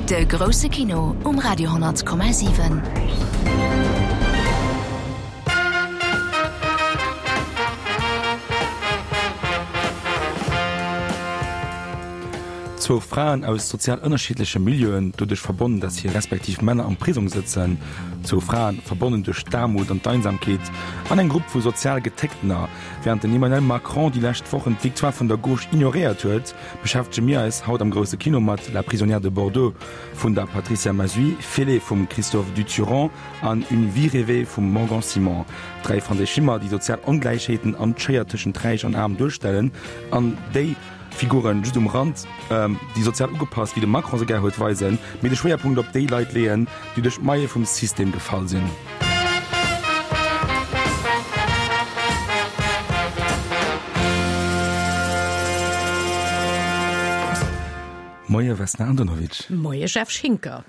De grousse Kino um Radio 10,7. Zwou Fraen aus sozial ënnerschiddleche Milieuen, doduerch verbonnen, datt hir respektiv Männer am Prisong sëtzen. Zwou Fraen, verbonnen duerch d'Aarmut an d'Einsamkeet. An eng Grupp vu sozial Getécktener. Wärend den Emmanuel Macron déi lescht Wochen d'Victoire vun der Gauche ignoréiert huet, beschäftege mir eis haut am Grousse Kino mat La prisonnière de Bordeaux vun der Patricia Mazuy, Félé vum Christophe Duturand an Une vie rêvée vum Morgan Simon. Dräi franséisch Filmer, déi sozial Ongläichheeten an d'Schéier tëschent Räich an Aarm duerstellen an déi Figuren just um Rand, déi sozial ugepasst, wéi de Macron se gär huet, weisen, mee de Schwéierpunkt op déi Leit leeën, déi duerch d'Maille vum System gefall sinn. Moie Vesna Andonovic. Moie Jeff Schinker.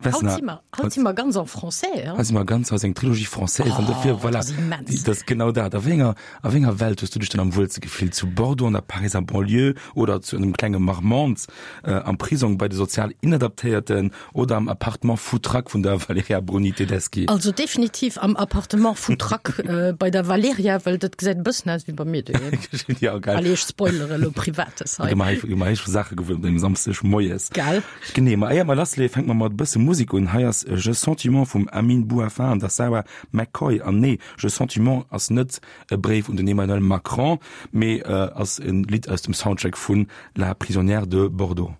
Haut si mer, haut si mer ganz en français, hein? Haut si mer ganz, haut ass eng Trilogie française an dofir, voilà, dat ass immens. Dat ass genau dat. A wéi enger, a wéi enger Welt hues du dech dann am wuelste gefillt? Zu Bordeaux an der Pariser Banlieue oder zu engem klenge Marmande am Prisong bei de sozial Inadaptéierten oder am Appartement Foutraque vun der Valerija Bruni-Tedeschi? Also definitiv am Appartement Foutraque bei der Valerija, well dat gesäit e bëssen aus wéi bei mir doheem. Ja, geil. Allez, ech spoilere lo Privates hei. Gi mer hei, gi mer hei scho Saache gewuer op engem Samsdeg moies. Gell? Genee, ma éier mer lassleeë fänke mer mat e bësse Musek un. Hei ass Je Sentiment vum Amine Bouhafa an der Sarah McCoy. An nee, Je Sentiment ass net e Bréif un den Emmanuel Macron, mee ass e Lidd aus dem Soundtrack vun La prisonnière de Bordeaux.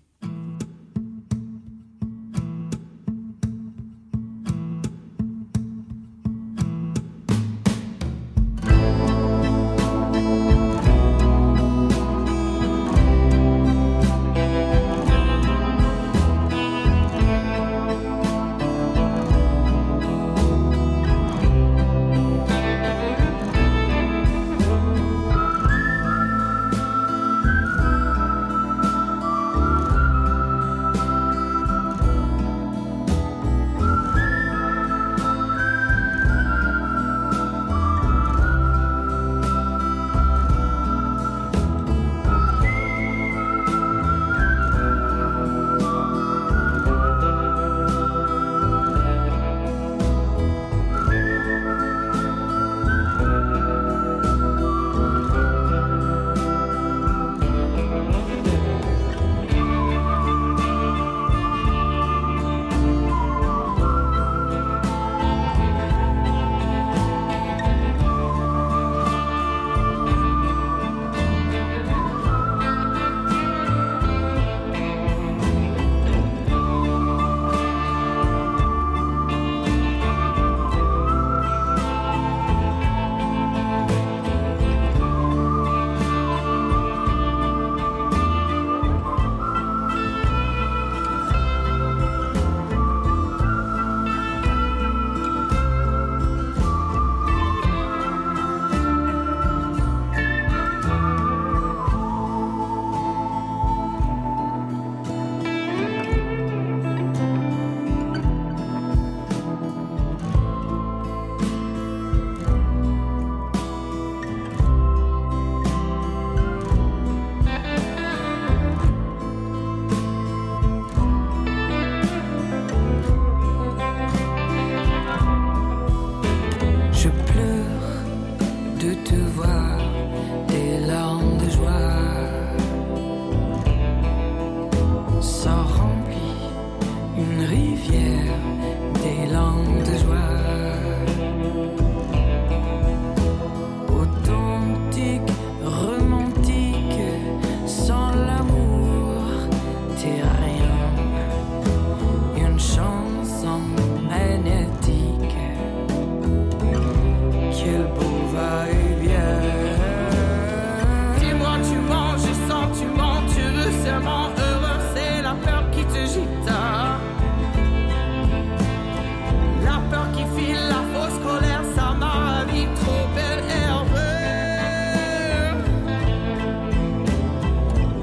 Je pleure de te voir des larmes de joie Ça remplit une rivière des larmes de joie Authentique, romantique, sans l'amour, t'es rien. Une chanson magnétique. Quel beau va-et-vient. Dis-moi, tu mens, je sens, tu mens, tu veux seulement heureux, c'est la peur qui te gîte. La peur qui file, la fausse colère, ça m'a vie trop belle erreur.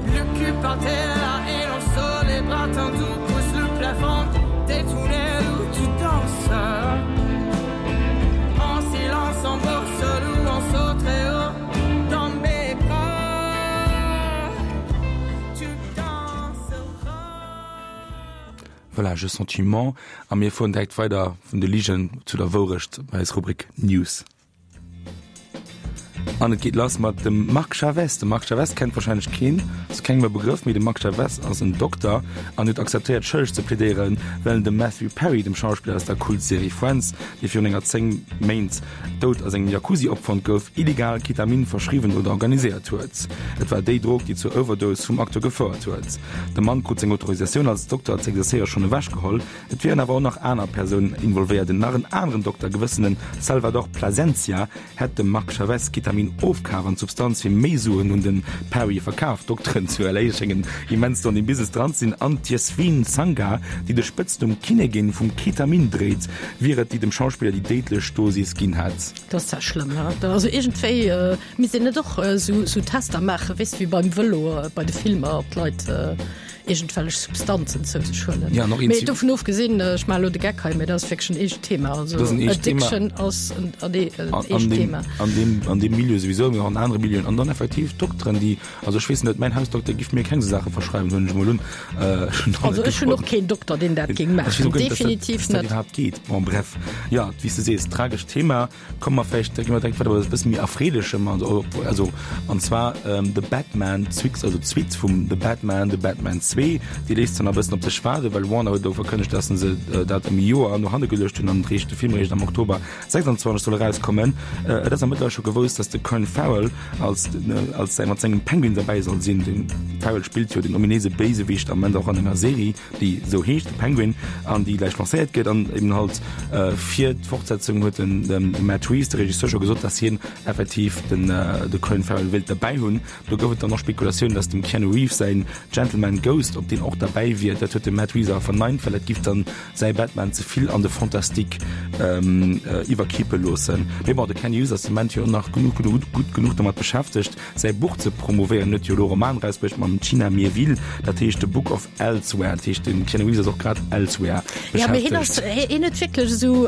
Le cul par terre et l'on les bras tendus pousse le plafond des tunnels où tu danses. En silence, en bourse ou en saut très haut dans mes bras. Tu danseras. Voilà, Je sentiment. A mir fueren direkt weider vun de Ligen zu der Wourecht bei eis Rubrik News. An et geet lass mat dem Marc Chavez. De Marc Chavez kennt wahrscheinlech keen, ass kengem e Begrëff, mee de Marc Chavez ass en Dokter an huet akzeptéiert schëlleg ze plädéieren, well en dem Matthew Perry, dem Schauspiller aus der Kultserie Friends, dee virun enger 10 Méint dout a sengem Jacuzzi opfonnt gouf, illegal Ketamin verschriwwen oder organiséiert huet. Et war déi Drog, déi zur Overdose vum Acteur gefouert huet. De Mann krut seng Autorisatioun als Dokter z'exercéiere schonn ewechgeholl. Et wieren awer och nach aner Persounen involvéiert. En nach en aneren Dokter, gewëssene Salvador Plasencia, hätt dem Marc Chavez Ketamin ofkaf an d'Substanz fir méi Suen un de Perry verkaf. D'Dokteren zu LA schéngen immens do an deem Business dran ze sinn an d'Yasveen Sangha, déi de Spëtznumm Kinnegin vum Ketamin dréit, wier et, déi dem Schauspiller déi déidlech Dosis ginn hätt. Dat ass zwar schlëmm, he? Also iergendwéi misst een net och esou Tester maachen, weess de, wéi beim Vëlo, bei de Filmer, ob d'Leit iergendwellech Substanzen zou sech huelen. Ja, mee dovun ofgesinn, ech maache lo de Geck hei, mee dat ass wierklech en eescht Thema. Also dat ass en eescht Thema. Addiction ass en, en eescht Thema. An deem, an deem Milieu souwisou, mee och an anere Milieuen. An dann effektiv Dokteren, déi, also ech weess net, mäin Hausdokter giff mir keng esou Saache verschreiwen, huelen ech emol un. Ech hunn also ech hunn och keen Dokter, deen dat géing maachen. Definitiv net. Dass dat iwwerhaapt geet. Bon, bref. Jo, wéi s de sees, tragescht Thema. Komme mer vläicht, da gi mer direkt weider bei eppes bësse méi Erfreelechem, also, also an zwar The Batman, d'Suite, also d'Suite vum The Batman, The Batman 2, déi léisst zwar nach e bëssen op sech waarden, well Warner huet elo verkënnegt, dass se dat ëm e Joer no hanne geluecht hunn an eréischt de Film eréischt am Oktober 26 soll erauskommen. Et ass awer mëttlerweil scho gewousst, dass de Colin Farrell als, als säi, mat sengem Penguin derbäi soll sinn. De Farrell spillt jo den ominéise Béisewicht am Moment och an enger Serie. déi esou heescht, The Penguin, an déi gläich lancéiert gëtt. An eben halt fir d'Fortsetzung huet den de Matt Reeves, de Regisseur, scho gesot, datt hien effektiv den de Colin Farrell wéilt derbäi hunn. Do gouf et dann och Spekulatiounen, datt dem Keanu Reeves säin Gentleman Ghost, ob deen och derbäi wier. Dat huet de Matt Reeves awer verneint, well dat giff dann säi Batman ze vill an de Fantastique iwwerkippe loossen. Mee bon, de Keanu Reeves ass de Moment jo nach genuch gutt genuch domat beschäftegt, säi Buch ze promouvéieren. En huet jo elo e Roman erausbruecht mam China Miéville, dat heescht The Book of Elsewhere. Dat heescht, den Keanu Reeves ass och grad elsewhere Ja, mee hien ass, beschäftegt. hien huet wierklech esou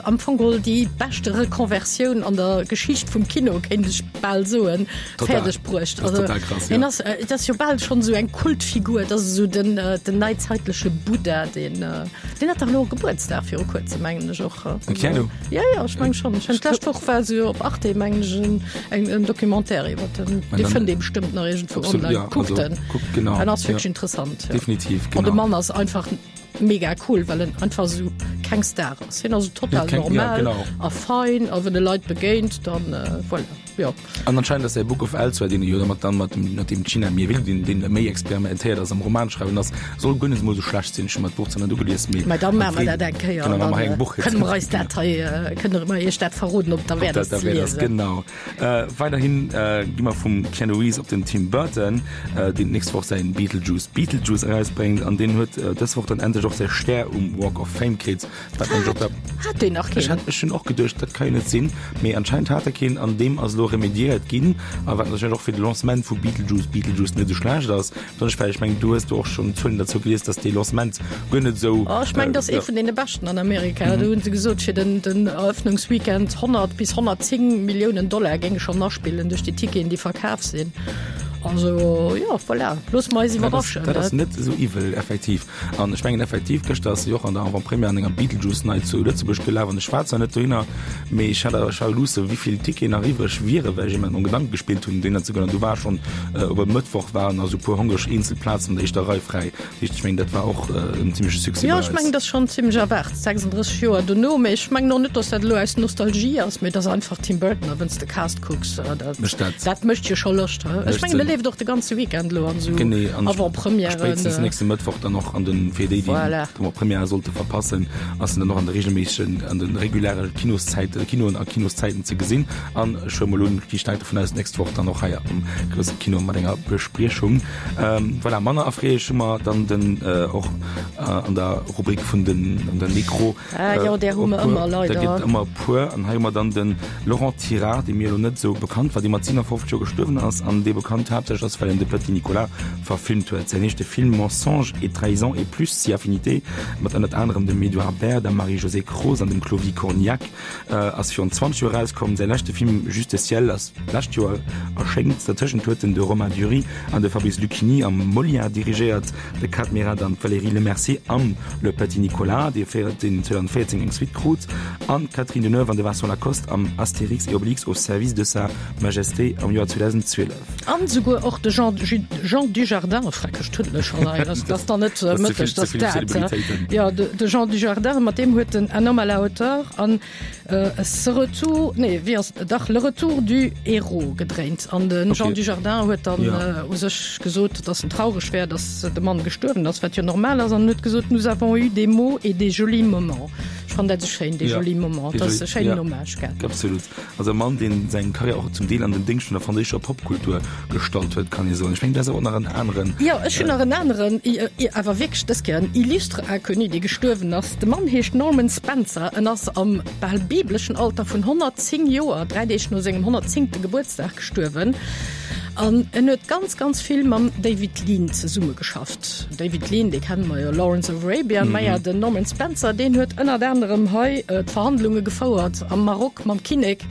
am Fong geholl déi beschte Reconversioun an der Geschicht vum Kino, kéint ech bal soen, Total. fäerdeg bruecht. Dat ass Also total krass, hien ja. ass, et ass jo bal schonn esou eng Kultfigur, et ass esou den, den neizeitleche Buddha, deen, deen hat dach elo Gebuertsdag viru kuerzem, mengen ech och. Den Keanu? Ja, ja, ech meng schonn. Ech hunn d'lescht Woch war se jo op Arte, mengen ech, en, eng, en Documentaire iwwer den. Mä Dee dann- fënnt ee bestëmmt nach iergendwou Absolut, online. ja, Kuckt also, en. kuckt, genau, En ass wierklech ja. interessant. Ja. Definitiv, An de genau. Mann ass einfach mega cool, well en einfach esou keng Star ass. Hien ass esou total Ja, keng- ja, normal genau. a fein a wann e Leit begéint, dann äh, voilà. Jo. An anscheinend ass säi Book of Elsewhere, deen e jo da mat dann mat dem mat dem China Miéville, deen deen méi experimentéiert ass am Romanschreiwen ass, soll guer net emol esou schlecht sinn. Ech hu mer d'Buch zwar net ugelies, mee Mä da maache mer dat eng Kéier Genau, an maache mer dann eng Buch kënne mer eis dat hei, kënne mer iech dat verroden, ob derwäert Ob ass dat ze derwäert ass, liesen. genau. Weiderhin gi mer vum Keanu Reeves op den Tim Burton, deen d'nächst Woch säin Beetlejuice Beetlejuice erausbréngt an deen huet dës Woch dann endlech och säi Stär um Walk of Fame kritt. Wat mengt op der Hat deen nach Ech keen? hat ech hunn och geduecht, dat ka jo net sinn, mee anscheinend hat e keen an deem ass elo remediéiert ginn a wat natierlech och fir de Lancement vu Beetlejuice Beetlejuice net esou schlecht ass, besonnesch well ech mengen du hues do och schonn Zuelen derzou gelies, datt dee Lancement guer net esou Oh, ech mengen, dat ass ee ja. vun deene beschten an Amerika. Do hunn se gesot, fir den, den Eröffnungsweekend 100 bis 110 Milliounen Dollar géinge schonn aspillen duerch déi Ticketen, déi verkaf sinn. Also, jo, voilà, loosse mer eis Dat ass, iwwerraschen. dat ass net esou iwwel, effektiv. An ech mengen effektiv, gëschter ass se jo och an der Avant-Première an enger Beetlejuice Night zu Lëtzebuerg gelaf an ech war zwar net dohinner, mee ech hat awer, ech war luusse wéivill Ticketen nach iwwreg wieren, well ech eben mat Gedanke gespillt hunn dohinner ze goen an du war schonn op e Mëttwoch waren nach esou puer hongreg eenzel Plazen an der éischter Rei fräi. Dat heescht, ech mengen dat war och en zimmleche Succès Jo, bei ech mengen, eis. dat ass schonn zimmlech erwaart, 36 Joer dono, mee ech mengen och net, datt dat elo aus Nostalgie ass, mee et ass einfach Tim Burton a wenn's de Cast kucks, dat Mécht dat. dat mécht jo scho Loscht. Ech mengen, e leeft och de ganze Weekend elo an esou Genee, an Avant-Premièren. spéitstens nächste Mëttwoch dann och an den, fir déi, déi Voilà. d'Avant-Première sollte verpassen, ass en dann och an de regelméissegen, an de reguläre Kinoszäiten, Kinoen a Kinoszäiten ze gesinn. An ech huele mol un, gi staark dovun aus, d'nächst Woch dann och hei am grousse Kino mat enger Bespriechung. Voilà, manner erfreelech hu mer dann den och an der Rubrik vun den, an der Nekro, Ah jo, där hu mer ëmmer, leider. Der gëtt ëmmer e puer. An hei hu mer dann de Laurent Tirard, dee mir elo net esou bekannt war, dee mat 57 Joer gestuerwen ass an dee bekannt haaptsächlech. haaptsächlech ass, well en de Petit Nicolas verfilmt huet. Säin éischte Film Mensonges et trahisons et plus si affinités mat ënnert anerem dem Edouard Baer, der Marie-Josée Croze an dem Clovis Cornillac ass virun 20 Joer erauskomm. Säi leschte Film Juste ciel ass d'lescht Joer erschéngt. Dertëschent huet en de Romain Duris an de Fabrice Luchini am Molière dirigéiert, de Kad Merad an d'Valérie Lemercier am Le Petit Nicolas, dee 2014 eng Suite krut, an d'Catherine Deneuve an de Vincent Lacoste am Astérix et Obélix au service de Sa Majesté am Joer 2012. An souguer och de Jean, Jean Dujardin, freckeg Tuddele schonn hei, dat ass dann net mëtteg, dat ass dat. Jo, de Jean Dujardin, mat deem huet en Un homme à la hauteur an Ce retour, nee, wéi ass, dach, Le retour du héros gedréint. An de Jean Dujardin huet dann u sech gesot, datt en traureg wär, datt de Mann gestuerwen ass, wat jo normal ass, an huet gesot, Nous avons eu des mots et des jolis moments. Ech fannen dat esou schéin, des jolis moments, dat ass e schéinen Hommage, gell? Absolut. Also e Mann, deen seng Karriär och zum Deel an den Déngscht vun der franséischer Popkultur gestallt huet, kann ee soen. Ech mengen, du häss awer och nach en aneren. Jo, ech hunn nach en aneren, awer wierklech dës Kéier en illustre Inconnu, dee gestuerwen ass. De Mann heescht Norman Spencer. En ass am bal bibleschen Alter vun 110 Joer, 3 Deeg no sengem 110. Gebuertsdag gestuerwen. An en huet ganz, ganz vill mam David Lean zesummegeschafft. David Lean, dee kenne mer jo, Lawrence of Arabia. Maja, den Norman Spencer, deen huet ënnert anerem hei d'Verhandlunge gefouert am Maroc mam Kinnek,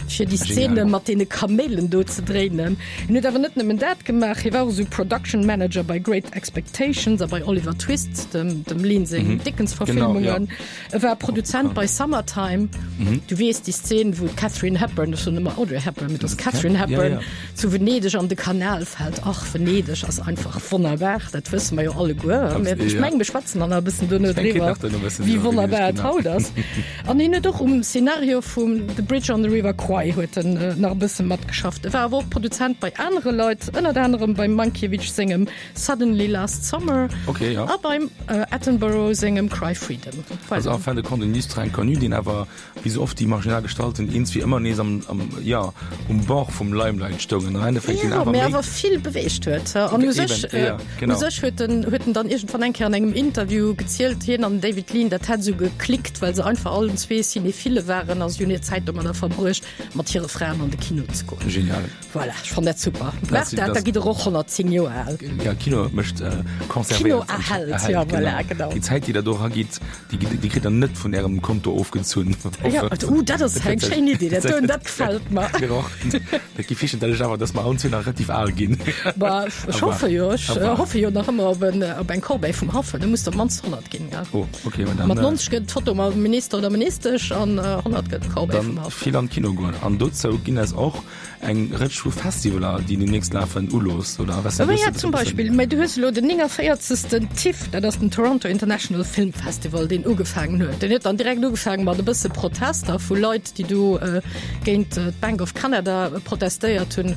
fir déi Szene mat deene Kaméilen do ze dréinen. En huet awer net nëmmen dat gemaach, hie war och esou Production Manager bei Great Expectations a bei Oliver Twist, dem, dem Lean seng Dickens-Verfilmungen. E war Produzent bei Summertime. Du weess, déi Szen, wou d'Katharine Hepburn, ech soen ëmmer Audrey Hepburn, mee et ass Katharine Hepburn, zu Venedeg an de Kanal fält. Ach, Venedeg ass einfach wonnerbar, dat wësse mer jo alleguer. Mä ech mengen, mir schwätzen dann nach e bëssen duerno driwwer, wéi wonnerbar et haut ass. An hien huet och um Szenario vum The Bridge on the River Kwai huet en nach e bësse matgeschafft. E war awer och Produzent bei anere Leit, ënnert anerem beim Mankiewicz sengem Suddenly Last Summer okay, ja. a beim äh, Attenborough sengem Cry Freedom. Voilà. Also en fin de compte en illustre inconnu, deen awer wéi sou oft déi marginal Gestalten eens wéi ëmmer nees am, am, ja, um Bord vum Limelight stoungen. Am Endeffekt ja, awer, awer vill beweegt huet. An u sech äh, ja, genau. sech huet den, huet den dann irgendwann eng Kéier an engem Interview gezielt, hien an David Lean, dat hätt sou geklickt, well se einfach allen zwee Cinephile waren a si hunn hir Zäit domadder verbruecht, mat hire Fraen an de Kino ze goen. Genial. Voilà, ech fann dat super. Maach dat, da gitt der och 110 Joer al. Ja, Kino mécht konservéiert. Kino erhält, ja, voilà, genau. Déi Zäit, déi der do eragitt, déi gitt, déi kritt der net vun Ärem Konto ofgezunn. Ja, uh, dat ass eng schéin Idee, dat doen, dat gefält mer. Mir och. Dat géif heeschen, dat ech awer, dass mer allen zwee nach relativ al ginn. Bah, ech hoffe jo, ech hoffe jo nach ëmmer op en, op eng Corbeille vum Haff, da muss der op d'mannst 100 ginn, ja. Oh, okay, ma dann. Mat 90 gëtt d'Foto mam Minister oder Ministesch an 100 gëtt d'Corbeille vum Haff. Dann vill an d'Kino goen. An dozou ginn es och Eng Rëtsch vu Festivaler, déi demnächst lafen, ulooss, oder? Was oh ja, zum Beispill, mä du hues elo den 49. TIFF, dat ass den Toronto International Film Festival, deen ugefaangen huet. Deen huet dann direkt ugefaangen mat e bësse Protester vu Leit, déi do äh, géint äh, d'Bank of Canada protestéiert hunn,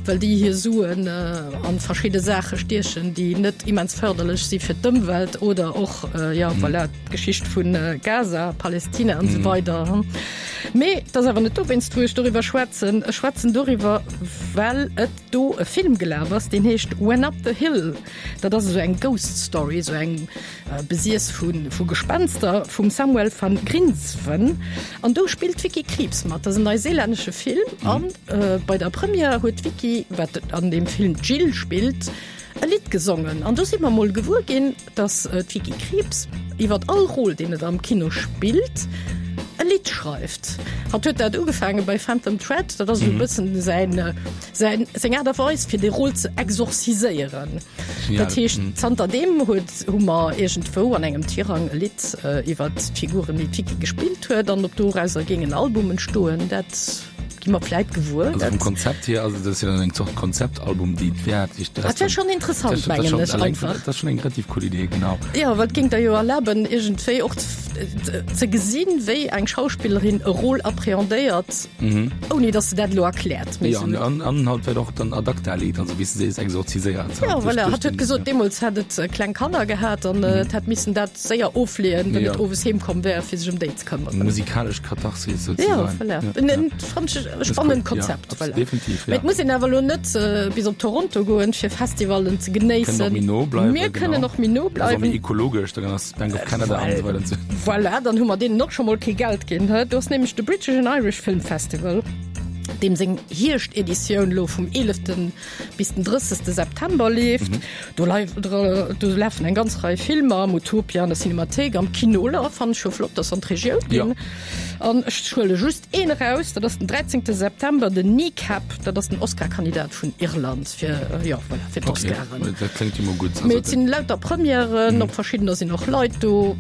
well déi hir Suen äh, an verschidde Saache stiechen, déi net immens fërderlech si fir d'Ëmwelt oder och äh, ja, mhm. voilà, d'Geschicht vun äh, Gaza, Palestina an mhm. so weider. Mee et ass awer net dowéinst, wou ech doriwwer schwätzen. Ech schwätzen doriwwer, well et do e Film gelaf ass, deen heescht When Up the Hill. Dat ass esou eng Ghost Story, esou eng besiess vu vu Gespenster vum Samuel van Grinsven. An do spillt d'Vicky Krieps mat. Dat ass en neuseelännesche Film. An bei der Première huet d'Vicky, wat an deem Film d'Jill spillt, e Lidd gesongen. An do si mer mol gewuer ginn, dass d'Vicky Krieps iwwer all Rôle, deen et am Kino spillt, e Lidd schreift. Hatt huet dat ugefaange bei Phantom Thread, dat ass esou e bëssen säin, säin, seng Aart a Weis, fir dee Rôle ze exorziséieren. Dat heescht, zanter deem huet, hu mer iergendwou an engem Tirang e Lidd iwwer d'Figuren, déi d'Vicky gespillt huet, an ob dorauser géing en Album entstoen, dat. Gi mer vläit gewuer. Also vum Konzept hier, also dat ass jo dann eng Zort Konzeptalbum, déi d'wäert sech dat. Dat wär schonn interessant, mengen ech einfach. Dat ass schonn eng relativ cool Idee, genau. Jo, well et géing der jo erlaben, iergendwéi och ze gesinn, wéi eng Schauspillerin e Rôle appréhendéiert, ouni datt se dat elo erkläert. Jo, an an halt vläicht och dann ad acta leet, also wéi s de sees, exorziséiert. Jo, voilà, hatt huet gesot, deemools hätt et kleng Kanner gehat an et hätt missen dat séier ofleeën, wann et owes heem komm wär, fir sech ëm déi ze këmmeren. Musikalesch Katharsis souzesoen. Ja, voilà. Ja, ja. Fand ech e spannend Konzept. Ja, voilà. Definitiv, ja. Mee et muss een awer elo net äh, bis op Toronto goen, fir Festivalen ze genéissen. Méi no bleiwen. Mir kënnen och méi no bleiwen. Méi ekologesch, dann ass Bank of Canada an esou weider. Voilà, dann hu mer deenen och scho mol kee Geld ginn. Do ass nämlech de British and Irish Film Festival. Deem seng Hierschteditioun elo vum 11. bis den 30. September leeft. Mhm. Do, do lafen eng ganz Rei Filmer am Utopia, an der Cinemathéik, am Kinoler, fannen ech scho flott, dass se an d'Regioun ginn. Ja. An ech huele just een eraus, dat ass den 13. September, den Kneecap, dat ass den Oscar-Kandidat vun Irland fir, äh, ja, voilà, fir d'Oscaren. Okay. Dat kléngt jo mol gutt. Mee et sinn lauter Premièren, mhm. op verschiddener sinn och Leit do.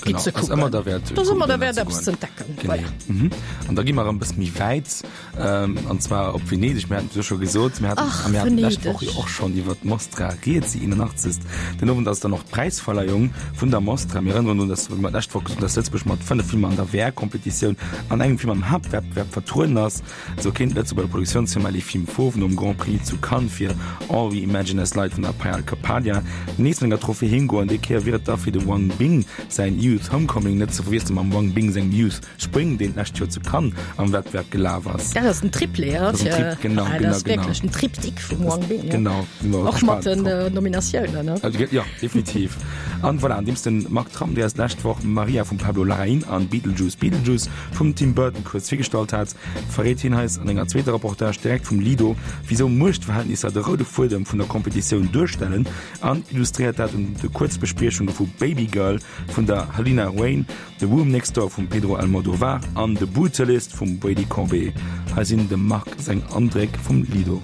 Genau, ze kucken. Ass ëmmer derwäert, Das ëmmer derwäert eppes ze entdecken. Genau. Mhm. An da gi mer erëm bësse méi wäit, ähm, an zwar op Venedeg. Mir haten et jo scho gesot, mir haten, Ach, a mir haten d'lescht Venedeg. Woch jo och schonn iwwer d'Mostra rieds, déi 81. Den Owend ass dann och d'Präisverleihung vun der Mostra. Mir erënneren drun, dass mer d'lescht Woch gesot hunn, dass Lëtzebuerg mat 5 Filmer an der VR-Kompetitioun an engem Film am Haaptwettbewerb vertrueden ass. Esou kéint d'Lëtzebuerger Produktiounsfirma Les Films Fauves nom Grand Prix zu Cannes fir All We Imagine As Light vun der Payal Kapadia nees mat enger Trophée heem goen. Déi Kéier wier et da fir de Wang Bing säin Youth Homecoming, net ze verwiessele mam Wang Bing sengem Youth Spring, deen d'lescht Joer zu Cannes am Wettbewerb gelaf ass. Dat ass den Triplé, Dat ass en Trip, genau, ah, genau, dat ass genau. wierklech den Triptyque vum Wang Bing. Ja. Genau, si mer Och mat gespaant den drop. äh, Nominatiounen, ne? Also, ja, definitiv. An voilà, andeems den Marc Tramm, dee eis d'lescht Woch Maria vum Pablo Larraín an Beetlejuice Beetlejuice vum Tim Burton kuerz virgestallt hat, verréit hien eis an enger zweeter Reportage direkt vum Lido, wisou Muechtverhältnisser de roude Fuedem vun der Kompetitioun duerstellen an illustréiert dat un de Kuerzbespriechunge vu Babygirl vun der Halina Wayne, The Room Next Door vum Pedro Almodovar an The Brutalist vum Brady Corbet. Hei sinn dem Marc seng Andréck vum Lido.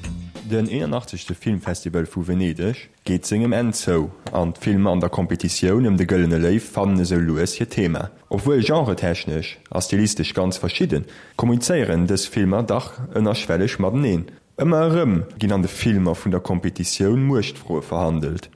Den 81. Filmfestival vu Venedeg geet sengem Enn zou an d'Filmer an der Kompetitioun ëm de Gëllene Léiw fannen esou lues hiert Thema. Obwuel genretechnesch a stilistesch ganz verschidden, kommunizéieren dës Filmer dach ënnerschwelleg mateneen. Ëmmer erëm ginn an de Filmer vun der Kompetitioun Muechtfroe verhandelt.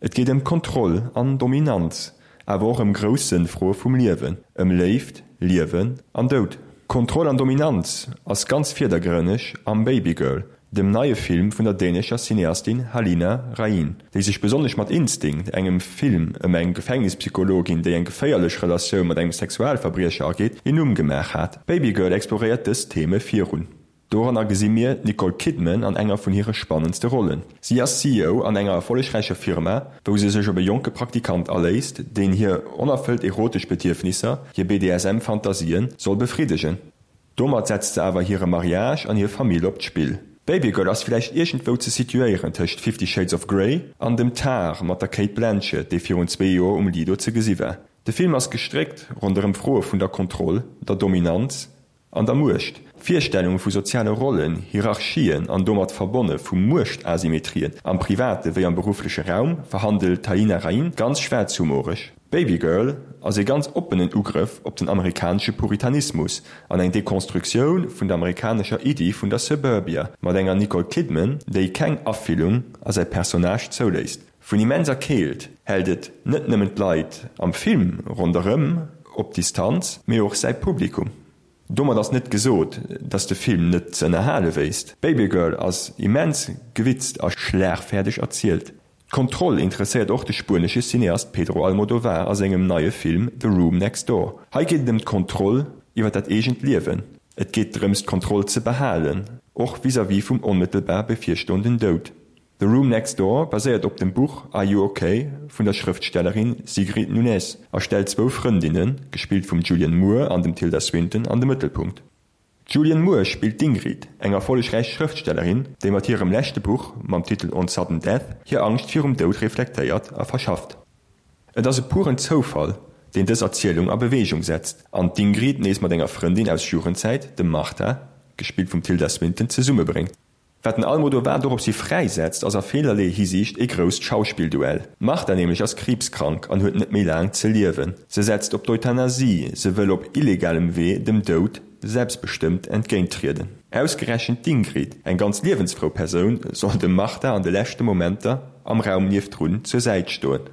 Et geet ëm Kontroll an Dominanz, awer och ëm grouss Sënnfroe vum Liewen, ëm Léift, Liewen an Doud. Kontroll an Dominanz ass ganz virdergrënneg am Babygirl, dem neie Film vun der dänescher Cineastin Halina Rain, déi sech besonnesch mat Instinct, engem Film ëm eng Gefängnispsychologin, déi eng geféierlech Relatioun mat engem Sexualverbriecher ageet, een Numm gemaach hat. Babygirl exploréiert dës Theme virun. Doranner gesi mir d'Nicole Kidman an enger vun hire spannendste Rollen. Si ass CEO an enger erfollegräicher Firma, wou se sech op e jonke Praktikant aléisst, deen hir onerfëllt erotesch Bedierfnisser, hir BDSM-Fantasien, soll befriddegen. Domat setzt se awer hire Mariage an hir Famill op d'Spill. Babygirl ass villäicht iergendwou ze situéieren tëscht Fifty Shades of Grey an dem Tár mat der Cate Blanchett, dee virun zwee Joer um Lido ze gesi war. De Film ass gestréckt ronderëm Froe vun der Kontroll, der Dominanz, An der Muecht, Virstellunge vu soziale Rollen, Hierarchien an domat verbonne vu Muechtasymmetrien am private wéi am beruffleche Raum verhandelt d'Halina Rain ganz schwaarzhumoreg. Babygirl ass ee ganz oppenen Ugrëff op den amerikanesche Puritanismus an eng Dekonstruktioun vun der amerikanescher Iddi vun der Suburbia mat enger Nicole Kidman, déi keng Afillung a säi Personnage zouléisst. Vun immenser Keelt hält et net nëmmen d'Leit am Film ronderëm op Distanz, mee och säi Publikum. Domat ass net gesot, dass de Film net ze ënnerhale wéisst. Babygirl ass immens gewitzt a schlagfäerdeg erzielt. D'Kontroll interesséiert och de spuenesche Cineast Pedro Almodovar a sengem neie Film The Room Next Door. Hei geet et ëm d'Kontroll iwwer dat eegent Liewen. Et geet drëms d'Kontroll ze behalen, och vis-à-vis vum onmëttelbar bevirstoenden Doud. The Room Next Door baséiert op dem Buch Are You Ok? vun der Schrëftstellerin Sigrid Nunez a stellt zwou Frëndinnen, gespillt vum Julianne Moore an dem Tilda Swinton, an de Mëttelpunkt. D'Julianne Moore spillt d'Ingrid, eng erfollegräich Schrëftstellerin, déi mat hirem leschte Buch mam Titel On Sudden Death hir Angscht virum Doud reflektéiert a verschafft. Et ass e puren Zoufall, deen dës Erzielung a Beweegung setzt an d'Ingrid nees mat enger Frëndin aus Jugendzäit, dem Martha, gespillt vum Tilda Swinton, zesummebréngt. Wat den Almodovar doropshi fräisetzt, ass a villerlee Hisiicht ee grousst Schauspillduell. D'Marta nämlech ass kriibskrank an huet net méi laang ze liewen. Se setzt op d'Euthanasie, se wëll op illegalem Wee dem Doud selbstbestëmmt entgéinttrieden. Ausgerechent d'Ingrid, eng ganz liewensfrou Persoun, soll dem Marta an de leschte Momenter am Raum niefdrun zur Säit stoen.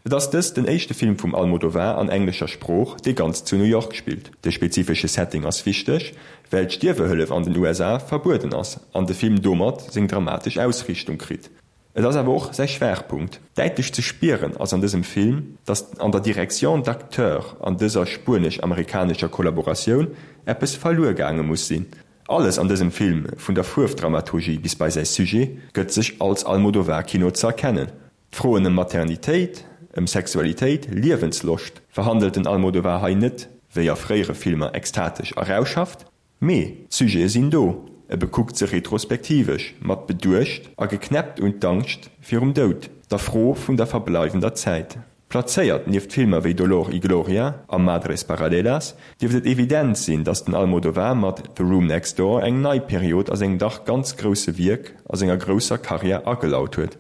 Et ass dëst den éischte Film vum Almodovar an englescher Sprooch, dee ganz zu New York spillt. De spezifesche Setting ass wichteg, well d'Stierwehëllef an den USA verbueden ass an de Film domat seng dramatesch Ausriichtung kritt. Et ass awer och säi Schwaachpunkt. Däitlech ze spieren ass an dësem Film, datt an der Direction d'acteurs an dëser spuenesch-amerikanescher Kollaboratioun eppes verluer gaange muss sinn. Alles an dësem Film, vun der Fuerfdramaturgie bis bei säi Sujet, gëtt sech als Almodovar-Kino ze erkennen. D'Froen ëm Maternitéit, ëm Sexualitéit, Liewensloscht verhandelt den Almodovar hei net, wéi a fréiere Filmer, extatesch a rauschhaft. Mee d'Sujete sinn do, e bekuckt se retrospektivesch, mat Beduecht a geknäppt un d'Angscht virum Doud, der Fro vun der verbleiwender Zäit. Plazéiert nieft Filmer wéi Dolor y Gloria a Madres Paralelas dierft et evident sinn, datt den Almodovar mat The Room Next Door eng nei Period a sengem dach ganz grousse Wierk a senger grousser Karriär agelaut huet.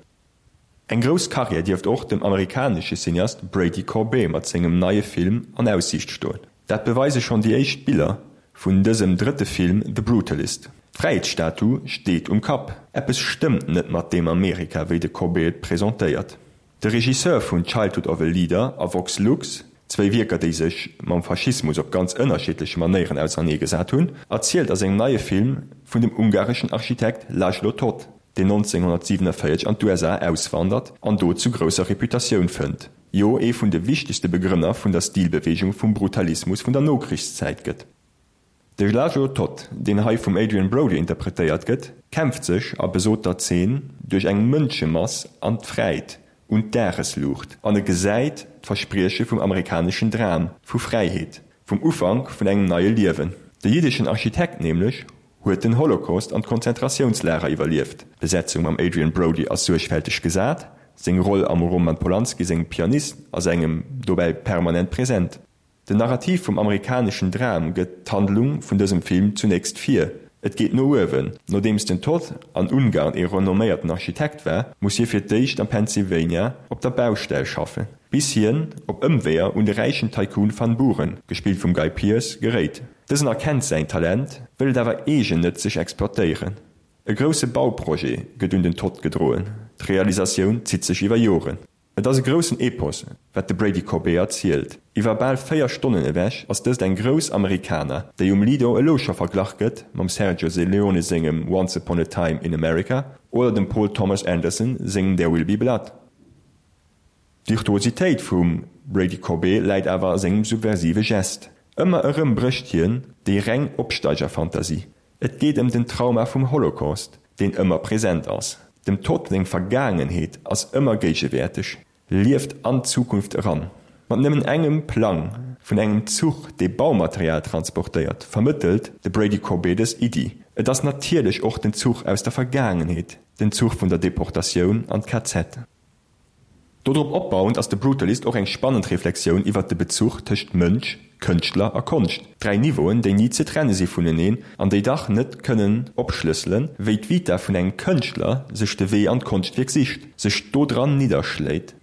Eng grouss Karriär dierft och dem amerikanesche Cineast Brady Corbet mat sengem neie Film an Aussiicht stoen. Dat beweise schonn déi éischt Biller vun dësem drëtte Film The Brutalist. D'Fräiheetsstatu steet um Kapp. Eppes stëmmt net mat deem Amerika, wéi de Corbet et presentéiert. De Regisseur vun Childhood of a Leader a Vox Lux, zwéi Wierker déi sech mam Faschismus op ganz ënnerschiddleche Manéieren auserneegesat hunn, erzielt a sengem neie Film vun dem ungareschen Architekt László Toth, deen 1947 an d'USA auswandert an do zu grousser Reputatioun fënnt, jo ee vun de wichtegste Begrënner vun der Stilbeweegung vum Brutalismus vun der Nokrichszäit gëtt. De László Toth, deen hei vum Adrien Brody interpretéiert gëtt, kämpft sech a besoter Zeen duerch eng Mënschemass an d'Fräit, un d'Dagesluucht, an e gesäit d'Versprieche vum amerikaneschen Dram vu Fräiheet, vum Ufank vun engem neie Liewen. De jiddeschen Architekt nämlech huet den Holocaust an d'Konzentratiounslager iwwerlieft. D'Besetzung mam Adrien Brody ass suergfälteg gesat, seng Roll am Roman Polanski sengem Pianist ass engem dobäi permanent present. Den Narrativ vum amerikaneschen Dram gëtt d'Handlung vun dësem Film zunächst vir. Et geet no uewen. Nodeems den Todd an Ungarn ee renomméierten Architekt war, muss hie fir d'éischt am Pennsylvania op der Baustell schaffen, bis hien op Ëmweeër un de räichen Tycoon Van Buren, gespillt vum Guy Pearce, geréit. Dësen erkennt säin Talent, wëll et awer eegennëtzeg exploitéieren. E grousse Bauprojet gëtt un den Todd gedroen, d'Realisatioun zitt sech iwwer Joren. Et ass e groussen Epos, wat de Brady Corbet erzielt. Iwwer bal 4 Stonnen ewech ass dëst eng grouss Americana, déi um Lido elo scho verglach gëtt mam Sergio Leone sengem Once Upon a Time in America oder dem Paul Thomas Anderson sengem There Will Be Blood. D'Virtuositéit vum Brady Corbet läit awer a sengem subversive Gest. Ëmmer erëm brécht hien déi reng Opsteigerfantasie. Et geet ëm den Trauma vum Holocaust, deen ëmmer present ass. Dem Todd seng Vergaangenheet ass ëmmer géigewäerteg, lieft an d'Zukunft eran. Mat nëmmen engem Plang vun engem Zuch, dee Baumaterial transportéiert, vermëttelt de Brady Corbet dës Iddi. Et ass natierlech och den Zuch aus der Vergaangenheet, den Zuch vun der Deportatioun an d'KZ. Dodrop opbauend ass The Brutalist och eng spannend Reflexioun iwwert de Bezuch tëscht Mënsch, Kënschtler a Konscht, dräi Niveauen, déi ni ze trenne si vuneneen an déi dach net kënnen opschlësselen, wéi d'Vita vun engem Kënschtler sech de Wee an d'Konschtwierk sicht, sech dodran nidderschléit.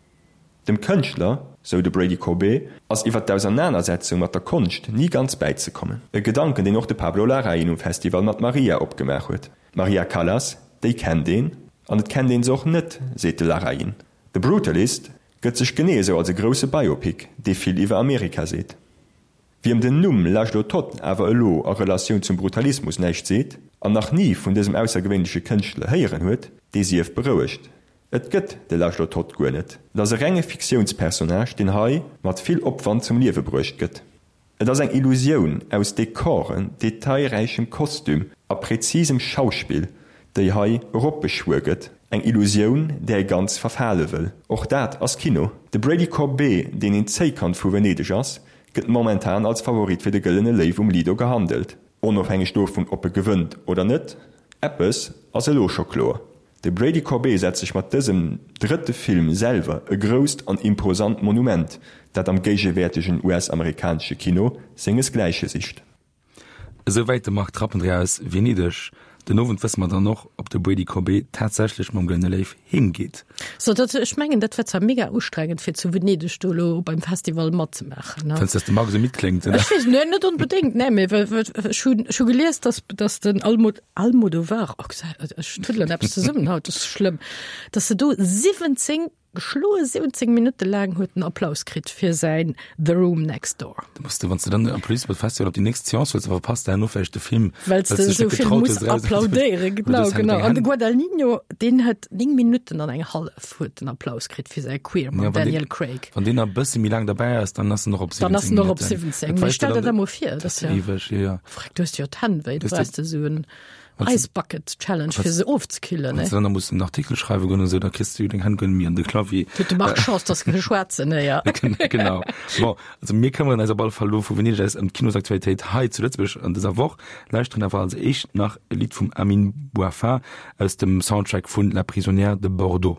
Dem Kënschtler, sou de Brady Corbet, ass iwwer d'Ausernanersetzung mat der Konscht ni ganz bäizekommen. E Gedanken, deen och de Pablo Larraín um Festival mat Maria opgemaach huet. D'Maria Callas, déi kennt een, an et kennt een se och net, seet de Larraín. The Brutalist gëtt sech genee esou als e grousse Biopic, dee vill iwwer Amerika seet. Wiem den Numm László Toth awer elo a Relatioun zum Brutalismus näischt seet an nach ni vun dësem aussergewéinleche Kënschtler héieren huet, dee sief berouegt, Et gëtt de László Toth guer net. Et ass e renge Fiktiounspersonnage, deen hei mat vill Opwand zum Liewe bruecht gëtt. Et ass eng Illusioun aus Dekoren, detailräichem Kostüm a präzisem Schauspill, déi hei eropbeschwuer gëtt. Eng Illusioun, där ee ganz verfale wëll. Och dat ass Kino. De Brady Corbet, deen een Zéikand vu Venedeg ass, gëtt momentan als Favorit fir de Gëllene Léiw um Lido gehandelt. Onofhängeg dovun, ob e gewënnt oder net, eppes ass elo scho kloer, De Brady Corbet setzt sech mat dësem drëtte Film selwer e grousst an imposant Monument, dat am géigewäertegen US-amerikanesche Kino sengesgläiche sicht. Esouwäit de Marc Trappendreher aus Venedeg. Den Owend wësse mer dann och, ob de Brady Corbet tatsächlech mam Gëllene Léiw heem geet. So, dat, ech mengen, dat wär zwar mega ustrengend, fir zu Venedeg do elo beim Festival matzemaachen, ne? Fënns, dass de Marc esou midd kléngt, oder? Ech weess net, net onbedéngt, nee, mee ech hunn, ech hu gelies, dass, dass den Almod, Almodovar, oh, ech tuddelen eppes zesummen haut, das ist schlëmm, dass se do 17, geschloe 17 Minutte laang huet en Applaus kritt fir säin The Room Next Door. Du musst du, wann du dann Applaus beim Festival op déi nächst Seance wëlls, verpasst du herno vläicht de Film, Well s de esou vill muss applaudéieren. Genau, genau. An de Guadagnino, deen huet 9 Minutten an eng hallef huet den Applaus kritt fir säi Queer mam Daniel Craig. Wann deen nach e bësse méi laang derbäi ass, dann ass en och op 17 Minutten. Dann ass en och op 17. Mee stell der dat mol vir, dat ass jo. Eweg, jo, jo. Freck, du hues jo d'Hänn wéi, du brauchs de esou en. Ice Bucket Challenge fir se ofzekillen. Wann s de dann nach muss en Artikel schreiwe goen oder sou, da kriss de jo deng Hänn guer net méi an de Clavier. Huet de Marc Chance, dass e schwaarzen héier. Genau. Bon, also mir këmmeren eis op alle Fall elo vu Venedeg aus ëm d'Kinosaktualitéit hei zu Lëtzebuerg an dëser Woch, lauschteren awer als éischt nach e Lidd vum Amine Bouhafa aus dem Soundtrack vun La prisonnière de Bordeaux.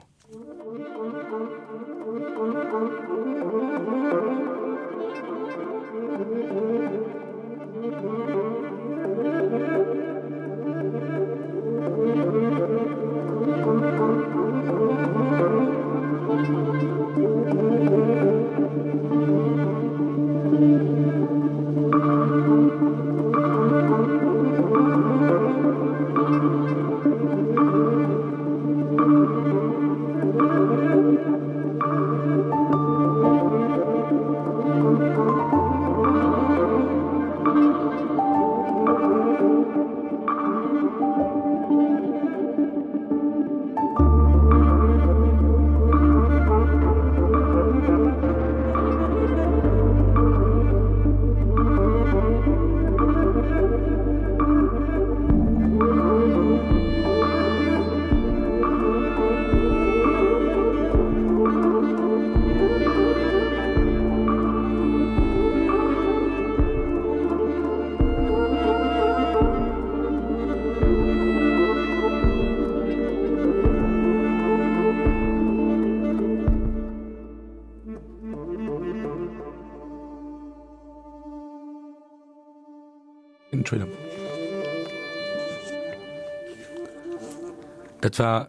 Dat war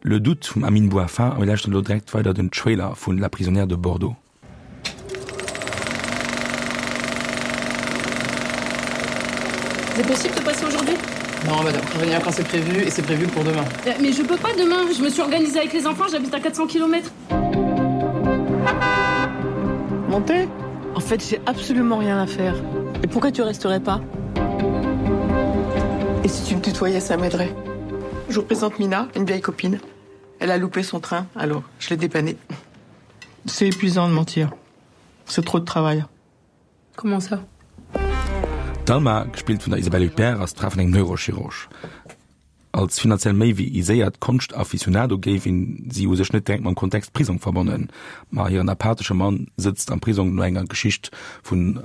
Le Doute vum Amine Bouhafa a mir lauschteren elo direkt weider den Trailer vun La prisonnière de Bordeaux. C'est possible de passer aujourd'hui Non, madame, revenir quand c'est prévu et c'est prévu pour demain. Euh, mais je peux pas demain, je me suis organisée avec les enfants, j'habite à 400 km. Montez En fait, j'ai absolument rien à faire. Et pourquoi tu resterais pas Et si tu me tutoyais, ça m'aiderait. Je vous présente Mina, une vieille copine. Elle a loupé son train, alors je l'ai dépannée. C'est épuisant de mentir. C'est trop de travail. Comment ça D'Alma, gespillt vun der Isabelle Huppert, ass d'Fra vun engem Neurochirurg. Als finanziell méi wéi aiséiert Konscht-Aficionado géif een si u sech net direkt mam Kontext Prisong verbannen. Ma hiren apathesche Mann sëtzt am Prisong no enger Geschicht vun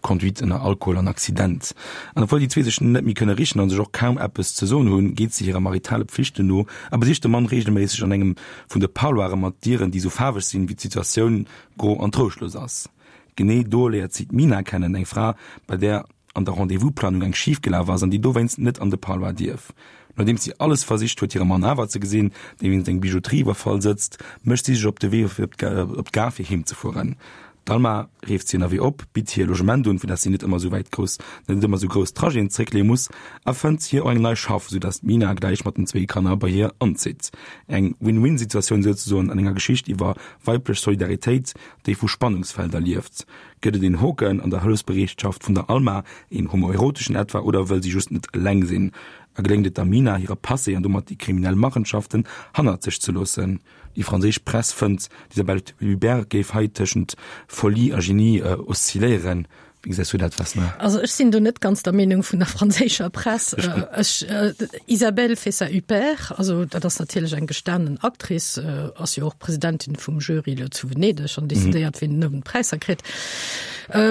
Conduite ënner Alkohol an Accident. An obwuel déi zwee sech net méi kënne richen an sech och kaum eppes ze soen hunn, geet si hirer maritale Pflichten no a besicht de Mann reegelméisseg an engem vun de Parloire mat Dieren, déi sou faarweg sinn, wéi d'Situatioun gro an trouschtlos ass. Genee do léiert si d'Mina kennen, eng Fra, bei där an der Rendez-vous-Planung eng schif gelaf ass an déi dowéinst net an de Parloir dierf. Nodeems si alles versicht huet hire Mann awer ze gesinn, dee wéinst engem Bijouterie-Iwwerfall sëtzt, mécht si sech op de Wee fir op d'Gare fir heem ze fueren. D'Alma reeft si ënnerwee op, bitt hir Logement un, fir datt si net ëmmer esou wäit grouss net ëmmer esou grouss Trajeten zeréckleeë muss, a fënnt hir och eng nei Schaff, esou datt d'Mina gläich mat den zwéi Kanner bei hir anzitt. Eng Win-Win-Situatioun souzesoen an enger Geschicht iwwer weiblech Solidaritéit, déi vu Spannungsfelder lieft. Gëtt et een Hoken an der Hëllefsbereetschaft vun der Alma, een homoeroteschen etwa, oder wëll si just net eleng sinn? A geléngt et der Mina, hire Passé an domat déi kriminell Machenschaften hannert sech ze loossen? Déi franséisch Press fënnt, d'Isabelle Huppert géif hei tëschent Folie a Genie oszilléieren. Wéi gesäis du dat, Vesna? Also ech sinn do net ganz der Meenung vun der franséischer Press. Ech, Isabelle fait sa Huppert, also dat ass natierlech eng gestanen Actrice, ass jo och Presidentin vum Jury elo zu Venedeg an decidéiert, wien den Owend Präisser kritt.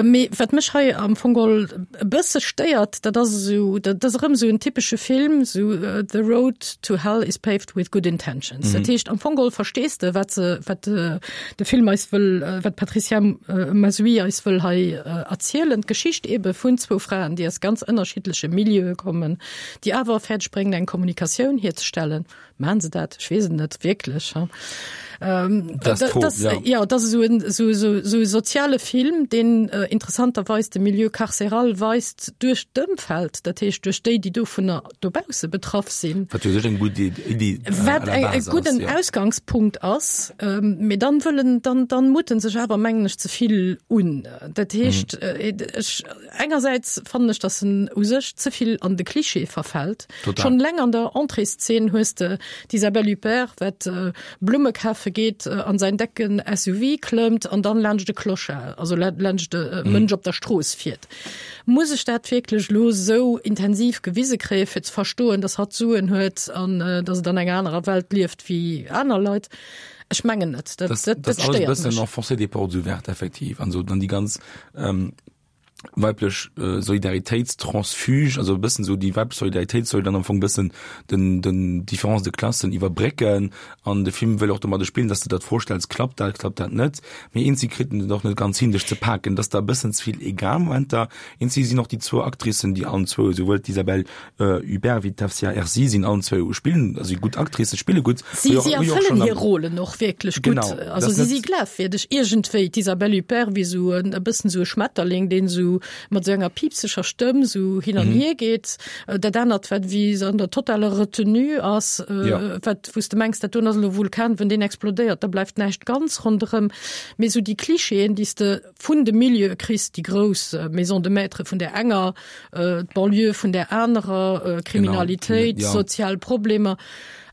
Mee wat mech hei am Fong geholl e bësse stéiert, dat ass esou, dat ass erëm esou en typesche Film, esou The road to hell is paved with good intentions. Dat heescht, am Fong geholl verstees de, wat se, wat de Film eis wëll, wat d'Patricia Mazuy eis wëll hei erzielen, d'Geschicht ebe vun zwou Fraen, déi aus ganz ënnerschiddleche Milieue kommen, déi awer fäerdeg bréngen, eng Kommunikatioun hierzestellen. Maachen se dat? Ech weess et net wierklech. Ähm, das dat, das, ja. ja, das ist so en, so, so, so e soziale Film, den äh, interessanterweis de Milieu carcéral weist duerch d'Ëmfeld, dat heescht duerch déi, déi dovunner dobausse betraff sinn. Wat jo sech eng gutt Iddi äh, Wat e, e gudden ja. Ausgangspunkt ass, ähm, mee dann wëllen dann, dann muten sech awer mengen ech ze vill un. Dat heescht mhm. äh, ech, engersäits fannen ech, dass en u sech ze vill an de Klischee verfält. Total. Schon leng an der Entréeszeen hues de. D'Isabelle Huppert, wat Blumme kafe geet, an säin decken SUV klëmmt an dann laanscht e Clochard, also laanscht e Mënsch op der Strooss fiert. Muss ech dat wierklech elo esou intensiv gewise kréie fir ze verstoen, datt hatt Suen huet an datt et an enger anerer Welt lieft wéi aner Leit? Ech mengen net. Dat, dat, dat stéiert mech. Enfoncer des portes ouvertes effektiv an esou dann déi ganz weiblech Solidaritéitstransfuge, also e bëssen esou déi weiblech Solidaritéit soll dann am Fong bëssen den, den Différence de Klassen iwwerbrécken an de Film wëll och domadder spillen, dass de der d'Fro stells, klappt dat, klappt dat net? Mee eenzi kritt en et och net ganz hin, dech ze paken, dass der e bëssen ze vill egal Momenter. Eenzi sinn och déi zwou Actricen, déi allen zwou, esouwuel d'Isabelle Huppert wéi d'Hafsia Herzi sinn allen zwou spillen, also gutt Actricen, spille gutt. Si, si erfëllen hir Rollen och wierklech gutt. Genau, also si si glafwierdeg iergendwéi. D'Isabelle Huppert wéi esou en e bëssen esou e Schmetterling, deen esou mat esou enger piipseger Stëmm esou hin an hier geet. Dat anert, wat wéi se an der totaler Retenue ass, wat wou s de mengs, dat doen ass elo e Vulkan, wenn deen explodéiert, da bleift näischt ganz ronderëm. Mee esou déi Klischeeën, déi s de vun de Milieue kriss, déi grouss Maison de maître vun där enger, d'Banlieue vun där anerer, Kriminalitéit, sozial Problemer.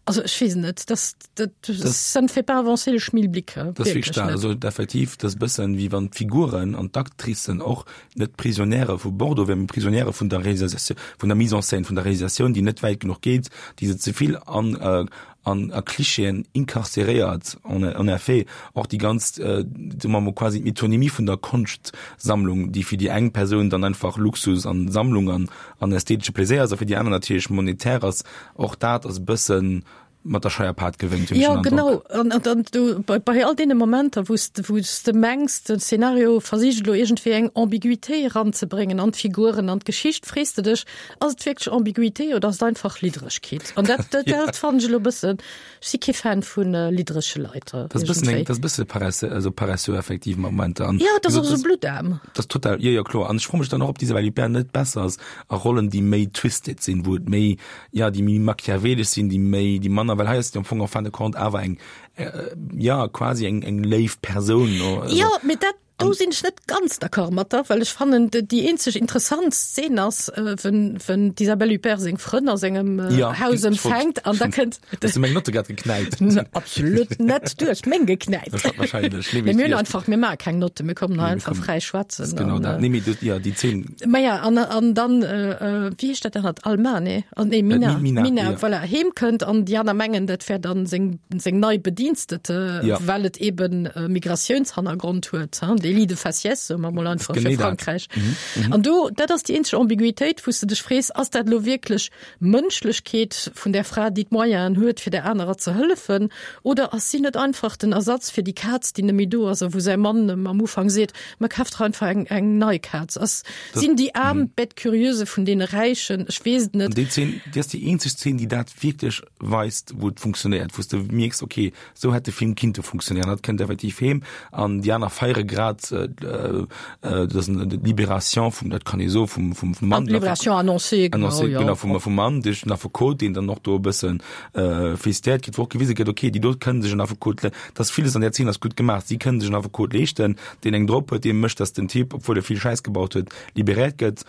Also ech weess net, das, dat, das, ça ne fait pas avancer le Schmilblick. Das wierklech net. Also effektiv, dat ass e bëssen, wéi wann d'Figuren an d'Actricen och net Prisonniere vu Bordeaux wären, mee Prisonniere vun der Réalisatioun, vun der Mise en scène, vun der Réalisatioun, déi net wäit genuch geet, déi se ze vill an an a Klischeeën incarceréiert. En en effet, och déi ganz, soe mer mol, quasi d'Metonymie vun der Konschtsammlung, déi fir déi eng Persoun dann einfach Luxus an Sammlung an an ästhetesche Pläséier ass a fir déi aner natierlech monetär ass, och dat ass e bëssen mat der Scheierpaart gewénkt, hunn ech den Androck. Jo, genau. An dann du, bei, bei all deene Momenter, wou s de, wou s de mengs, den Szenario versicht elo iergendwéi eng Ambiguïté eranzebréngen an d'Figuren, an d'Geschicht, frees de dech, Ass et wierklech Ambiguïté oder ass et einfach Lidderegkeet? An dat, dat, dat fannen ech elo e bëssen, ech si kee Fan vu lidderege Leit. Dat ass e bëssen eng, dat ass e bësse paresse, also paresseux effektiv mat Momenter. An Ja, dat ass och esou blutaarm. Dat ass total, jo, jo, kloer. An ech froe mech dann och, ob d'Isabelle Huppert net besser ass a Rollen, déi méi twisted sinn, wou et méi, jo, déi méi machiavelesch sinn, déi méi, déi manner, well hei ass et jo am Fong en fin de compte awer eng, jo, quasi eng, eng léif Persoun. Jo, mee dat, Do sinn ech net ganz d'accord mat der, well ech fannen, déi eenzeg interessant Szen ass, wenn, wenn d'Isabelle Huppert seng Frënn a sengem ja, Haus empfänkt an da kënnt. Hues du meng Notte grad geknäipt? Absolut net, du hues meng geknäipt. Wahrscheinlech. Nee, mir hunn einfach, mir maache keng Notte, mir kommen hei einfach fräi schwätzen. Genau dat. Nee, mee du, ja, déi Zeen. Maja, an, an dann, wéi heescht dat anert? Alma, nee? Nee, Mina. Mina, Mina, ja. Voilà, heem kënnt an déi aner mengen, dat wär dann seng, seng nei Bedienstete, ja. well et eben äh, Migratiounshannergrond huet, hein? Délit de faciès, soe mer mol einfach fir Frankräich. Mhm, mhm. An do, dat ass déi eenzeg Ambiguitéit, wou s de dech frees, ass dat lo wierklech Mënschlechkeet vun der Fra, déi d'Moyenen huet, fir der anerer ze hëllefen, oder ass si net einfach den Ersatz fir déi Kaz, déi net méi do ass a wou säi Mann em am Ufank seet, Ma kaf der einfach eng, eng nei Kaz. Ass, sinn déi Aarm mhm. d'Bête curieuse vun deene Räichen? Ech weess et net. Déi Zeen, déi ass déi eenzeg Zeen, déi dat wierklech weist, wou et funktionéiert, wou s de mierks, okay, sou hätt de Film kinnte funktionéieren. Dat kënnt effektiv heem an déi aner feiere grad äh, äh, dat ass d'Libération vum, dat kann ee soen, vum, vum, vum Mann. Libération annoncée, genau, annoncée, ja. genau vum, vum Mann duerch den Affekot, deen dann och do e bëssen äh, félicitéiert gëtt, wou och gewise gëtt, okay, déi do kënnen sech en Affekot, dass villes an där Zeen ass gutt gemaach. Si kënnen sech en Affekot leeschten, deen eng drop huet, dee mécht, dass den Typ, obwuel e vill Schäiss gebaut huet, liberéiert gëtt.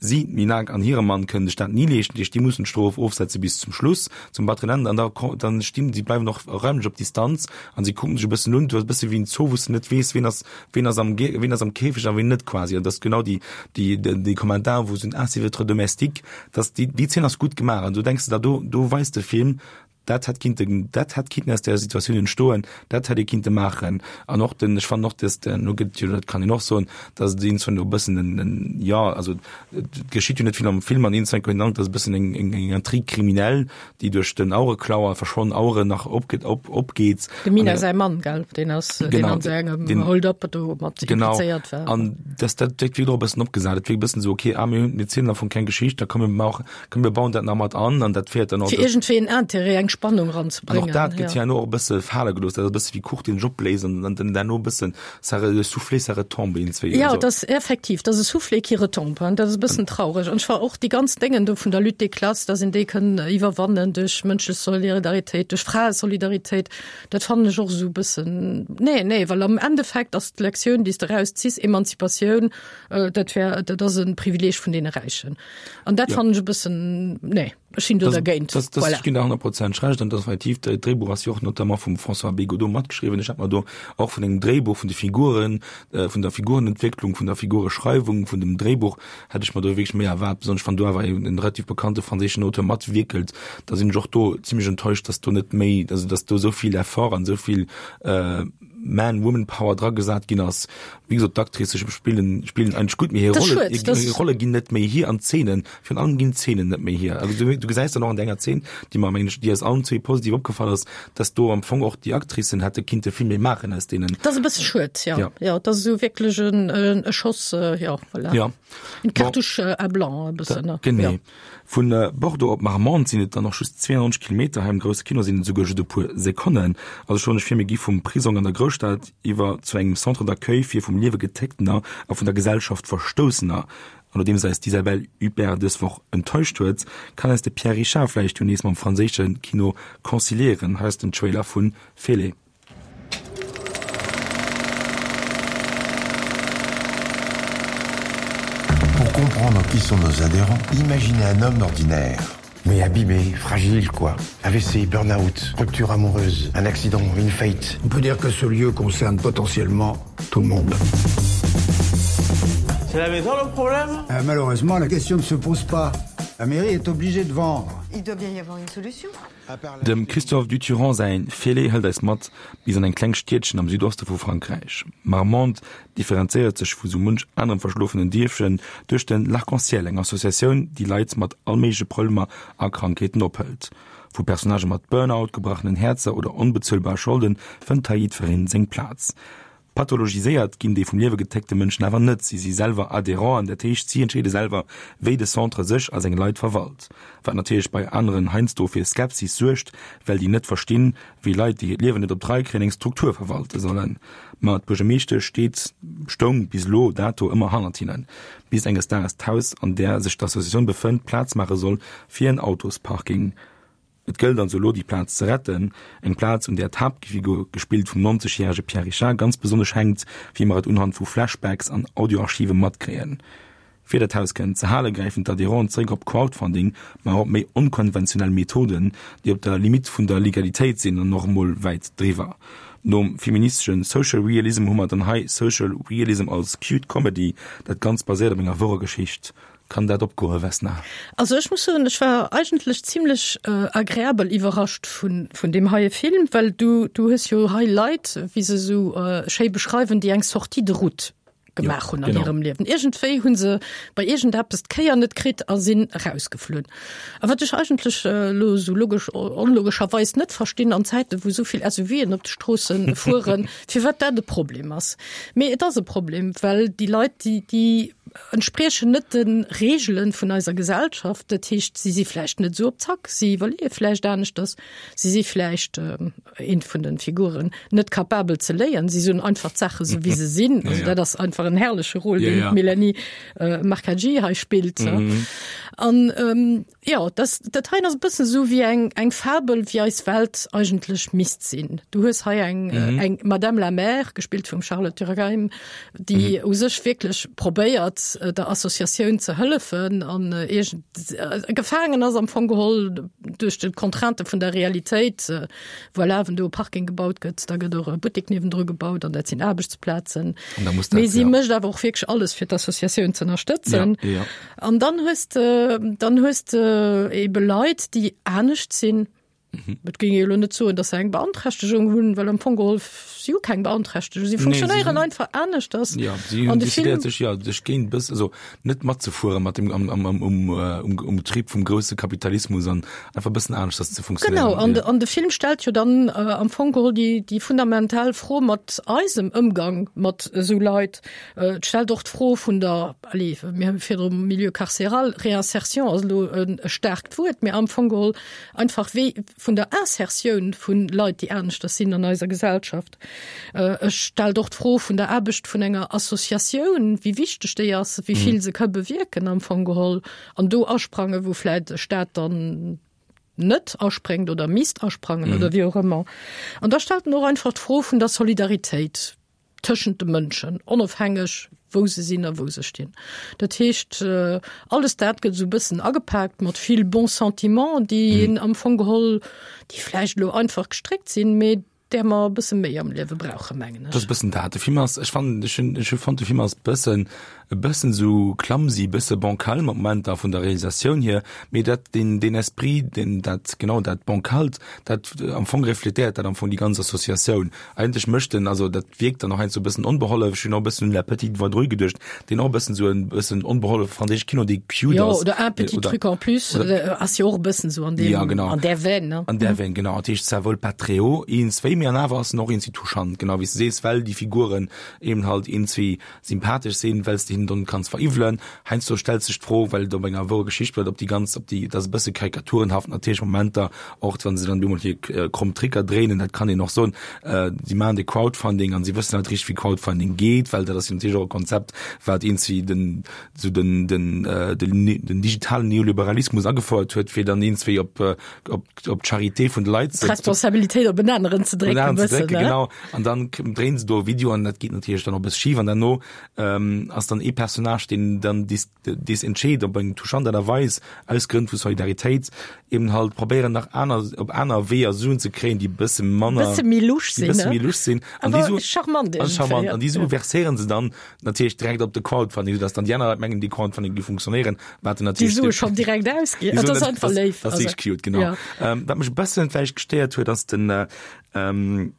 Si, d'Minak an hire Mann, kënnen sech dat ni leeschten, dat heescht, déi mussen d'Strof ofsetze bis zum Schluss, zum batteren Ende. An da dann stinn si, bleiwen och räumlech op Distanz an si kucken sech e bëssen un. Du ass e bësse wéi en Zoo, wou s de net weess, ween ass, ween ass am, ween ass am Käfeg a ween net quasi. An dat ass genau déi, déi, déi Kommentar, wou se soen, ah, c'est votre domestique. Dass déi, déi Zeen ass gutt gemaach. An du denks der, do, do weist de Film, Dat hätt kinnten, dat hätt kinnten aus där Situatioun entstoen, dat hätt ee kinnte maachen. An och den, ech fannen och, dass den, lo gëtt jo, dat kann een och soen, dass et iergendzwann e bëssen en, en, jo, also et geschitt jo net vill am Film an iergendzwann koum een den Androck, dass e bëssen eng, eng, eng Intrigue criminelle, déi duerch den Auereklauer, verschwonnen Aueren nach opgeet, op, opgeet. Dem Mina säi Mann, gell, deen ass, deen an esou engem Hold-up do mat implizéiert war. Genau, an dass dat wierkt och e bëssen opgesat, et wierkt e bëssen esou, okay, ah, mir hunn, mir zielen am Fong keng Geschicht, da komm mir maachen, Komm mir bauen dat nach mat an an dat féiert dann och. Fir iergendwéi en Intérêt, eng Spannung eranzebréngen. An och dat gëtt herno och e bësse fale gelooss. Dat ass e bësse wéi Kuch, deen sech opbléist an dann derno e bëssen ça re, le soufflé ça retombe iergendzwéi. Jo, dat ass effektiv, dat ass e Soufflé qui retombe, hein. Dat ass e bëssen traureg. An ech war och déi ganz Déngen do vun der Lutte des classes, dass een déi kënn iwwerwannen duerch mënschlech Solidaritéit, duerch Fraesolidaritéit, dat fannen ech och esou e bëssen, nee, nee, well am Endeffekt ass d'Lektioun, déi s de erausziss, Emanzipatioun, dat wär, dat ass e Privileeg vun deene Räichen. An dat ja. fannen ech e bëssen nee. Ech sinn do dergéint. Das, das, voilà. Ech ginn der 100 Prozent Recht an das effektiv, de Dréibuch ass jo och notamment vum François Bégaudeau matgeschriwwen. Ech hat mer do och vun engem Dréibuch, vun de Figuren, äh, vun der Figurenentwécklung, vun der Figureschreiwung, vun dem Dréibuch hätt ech mer do wierklech méi erwaart, besonnesch wann do awer en, en relativ bekannte franséischen Auteur matwierkelt, da sinn ech och do zimmlech enttäuscht, dass do net méi, also dass do esou vill Effort an esou vill äh, Man, Woman Power dragesat ginn ass. Wéi gesot, d'Actricë spillen, spillen eigentlech gutt, mee hir Rolle, hir Rolle ginn net méi hier an d'Zeenen, virun allem ginn d'Zeenen net méi hier. Also du, du gesäis dann och an der enger Zeen, déi mer, mengen ech, déi eis allen zwee positiv opgefall ass, dass do am Fong och déi Actricen hätte kinnte vill méi maachen aus deenen. Dat ass e bësse schued, ja. Ja, ja dat ass esou wierklech en, e Schoss, ja, voilà. Ja. Une cartouche à blanc e bëssen, ne? Genee. Ja. Vun Bordeaux op Marmande sinn et dann och just 92 Kilometer, hei am grousse Kino sinn et esouguer just e puer Sekonnen. Also schonn ech vir, mir gi vum Prisong an der Grousstad iwwer zu engem Centre d'accueil fir vum Liewe Getécktener a vun der Gesellschaft Verstoussener. An nodeems eis d'Isabelle Huppert dës Woch enttäuscht huet, kann eis de Pierre Richard vläicht jo nees mam franséische Kino conciliéieren. Hei ass den Trailer vu Félé. Pour comprendre qui sont nos adhérents, imaginez un homme ordinaire, mais abîmé, fragile quoi. AVC, burn-out, rupture amoureuse, un accident, une faillite. On peut dire que ce lieu concerne potentiellement tout le monde. C'est la maison le problème euh, Malheureusement, la question ne se pose pas. La mairie est obligée de vendre. Il doit bien y avoir une solution. Dem Christophe Duturand säin Félé hëlt eis mat bis an eng kleng Stiedchen am Südoste vu Frankräich. Marmande differenzéiert sech vu sou munch anerem verschlofenen Dierfchen duerch den L'Arc-en-Ciel, eng Associatioun, déi Leit mat all méigleche Problemer a Krankheeten ophëlt. Vu Personnagë mat Burnout, gebrachenen Häerzer oder onbezuelbare Scholde fënnt hei jiddwereen seng Plaz. Pathologiséiert ginn déi vum Liewe getéckte Mënschen awer net, si si selwer Adhérenten, dat heescht si entscheede selwer, wéi de Centre sech a seng Leit verwalt. Wat natierlech bei aneren heiansdo fir Skepsis suergt, well déi net verstinn, wéi Leit, déi hiert Liewen net op d'Rei kréien, eng Struktur verwalte sollen. Ma d'Buergermeeschtesch steet, stoung bis elo dato ëmmer hannert hinnen, bis enges Daags d'Haus, an där sech d'Associatioun befënnt, Plaz maache soll fir en Autosparking. Et gëllt also elo déi Plaz ze retten, eng Plaz un där d'Haaptfigur, gespillt vum 90 järege Pierre Richard, ganz besonnesch hänkt, wéi mer et unhand vu Flashbacks an Audioarchive matkréien. Fir dat Haus kënnen ze hale gräifen d'Adhérenten zeréck op Crowdfunding, ma och op méi onkonventionell Methoden, déi op der Limite vun der Legalitéit sinn an och emol wäit driwwer. Nom feministesche Social Realism hu mer dann hei Social Realism als cute Comedy, dat Ganzt baséiert op enger wourer Geschicht. Kann dat opgoen, Vesna? Also ech muss soen, ech war eigentlech zimlech agreabel iwwerrascht vun vun deem heie Film, well du du hues jo hei Leit, wéi se esou schéi beschreiwen, déi eng Sortie de route gemaach hunn an hirem Liewen. Iergendwéi hu se bei iergendeppes d'Kéier net kritt a sinn erausgeflunn. A wat ech eigentlech elo esou logesch, onlogescherweis net verstinn an Zäiten, wou esou vill SUVen op de Stroosse fueren, firwat dat e Problem ass. Mee et ass e Problem, well déi Leit, déi déi entspriechen net de Reegele vun eiser Gesellschaft. Dat heescht, si si vläicht net esou op Zack, si iwwerleeë vläicht aneschters, si si vläicht, eent vun de Figuren, net capabel ze léieren, si soen einfach d'Saache sou wéi se sinn. Also dat ass einfach en herrleche Rôle, deen d'Mélanie Marcaggi hei spillt. An Jo, das, dat heien ass e bëssen esou wéi eng, eng Fabel, wéi eis Welt eigentlech misst sinn. Du hues hei eng, mhm. eng Madame la Mère, gespillt vum Charlotte Durkheim, déi mhm. u sech wierklech probéiert, äh, der Associatioun ze hëllefen an äh, irgend, äh, gefaangen ass am Fong geholl duerch de Contrainte vun der Realitéit. Äh, voilà, wenn do e Parking gebaut gëtt, da gëtt och e Buttek niewendru gebaut an dat sinn Aarbechtsplazen. Mee si mécht awer och wierklech alles fir d'Associatioun ze ënnerstëtzen. Ja, ja. An dann hues de, dann hues de ebe Leit, déi anescht sinn. Mhm. Et géing ee elo net soen, datt se eng Beanträchtegung hunn, well am Fong geholl si hu keng Beanträchtegung. Si funktionéieren nee, einfach aneschters. Ja, si hunn decidéiert sech ja sech géint bëss also net matzefuere mat dem am, am, am, um, äh, um, um Trip vum grousse Kapitalismus an einfach bëssen aneschters ze funktionéieren. Genau, an, ja. an de Film stellt jo dann äh, am Fong geholl déi, déi fundamental Fro mat eisem Ëmgang mat esou Leit. Äh, et stellt och d'Fro vun der Allez, mir hu virdru Milieu carcéral, Réinsertion ass elo e staarkt Wuert, mee am Fong geholl einfach wéi vun der Insertioun vu Leit, déi aneschters sinn an eiser Gesellschaft. Et stellt och d'Fro vun der Aarbecht vun enger Associatioun, wéi wichteg déi ass, wéi vill se ka bewierken am Fong geholl an do asprangen, wou vläicht e Staat dann net aspréngt oder misst asprangen oder wéi och ëmmer. An da stellt en och einfach d'Fro vun der Solidaritéit. tëschent de Mënschen, onofhängeg wou se sinn a wou se stinn. Dat heescht, alles dat gëtt esou e bëssen agepaakt mat vill bons sentiments, déi een am Fong geholl, déi vläicht elo einfach gestréckt sinn, mee där mer e bësse méi am Liewe brauchen, mengen ech. Dat ass e bëssen dat. De Film ass, ech fannen, ech hunn, ech hu fonnt, de Film ass bëssen, e bëssen esou clumsy, e bësse bancal mat Momenter vun der Realisatioun hier, mee dat, deen, deen Esprit, deen dat, genau dat Bancalt, dat am Fong refletéiert dat am Fong déi ganz Associatioun. Eigentlech mécht en, also dat wierkt dann och heiansdo e bëssen onbehollef. Ech hunn och e bëssen un La Petite Vadrouille geduecht, deen och e bëssen esou e bëssen onbehollef franséische Kino, dee cute Jo, ass. oder Un petit Oder, truc en plus, oder, ass jo och e bëssen esou an deem, Ja, genau. an där Veine, ne? An där Veine, genau. Dat heescht, ça vole pas très haut, iergendzwéi, mee an awer ass en och iergendwéi touchant, genau wéi s de sees, well déi Figuren eben halt iergendzwéi sympathesch sinn, well s de hinnen dann kanns veriwwelen. Heiansdo stellt sech d'Fro, well et op enger wouer Geschicht basiert, ob déi ganz, ob déi, dat ass e bësse karikaturenhaft natierlech Momenter, och wann se dann bemol hir kromm Tricker dréinen, dat kann een och soen, si maachen de Crowdfunding an si wëssen net richteg wéi Crowdfunding geet, well dat ass jo natierlech och e Konzept, wat iergendwéi den, esou den, den, den digitalen Neoliberalismus agefouert huet, fir dann iergendwéi op, op, op d'Charité vun de Leit ze. D'Responsabilitéit op en aneren ze drécken, e bëssen, ne? Genau. An dann dréinen se do e Video an dat geet natierlech dann och e bësse schif an derno ass dann ee Personnage, deen dann dis, dees entscheet op eng touchant Aart a Weis, aus Grënn vu Solidaritéit, eben halt probéieren nach aner, op aner Weeër Suen ze kréien, déi e bësse manner, Bësse méi lusch déi sinn, bësse ne? méi lusch sinn. An déi Awer Suen, charmant an iergendwéi, charmant, ja. an déi Sue verséieren se dann natierlech direkt op de Crowdfunding, soudass dann déi aner Leit mengen, dee Crowdfunding géif funktionéieren, wat en Déi natierlech Sue schonn direkt ausginn. Déi Dat Suen ass net, einfach das, léif. das ass Also, wierklech cute, genau. ja. Ähm, wat mech e bëssen vläicht gestéiert huet, ass den, ähm,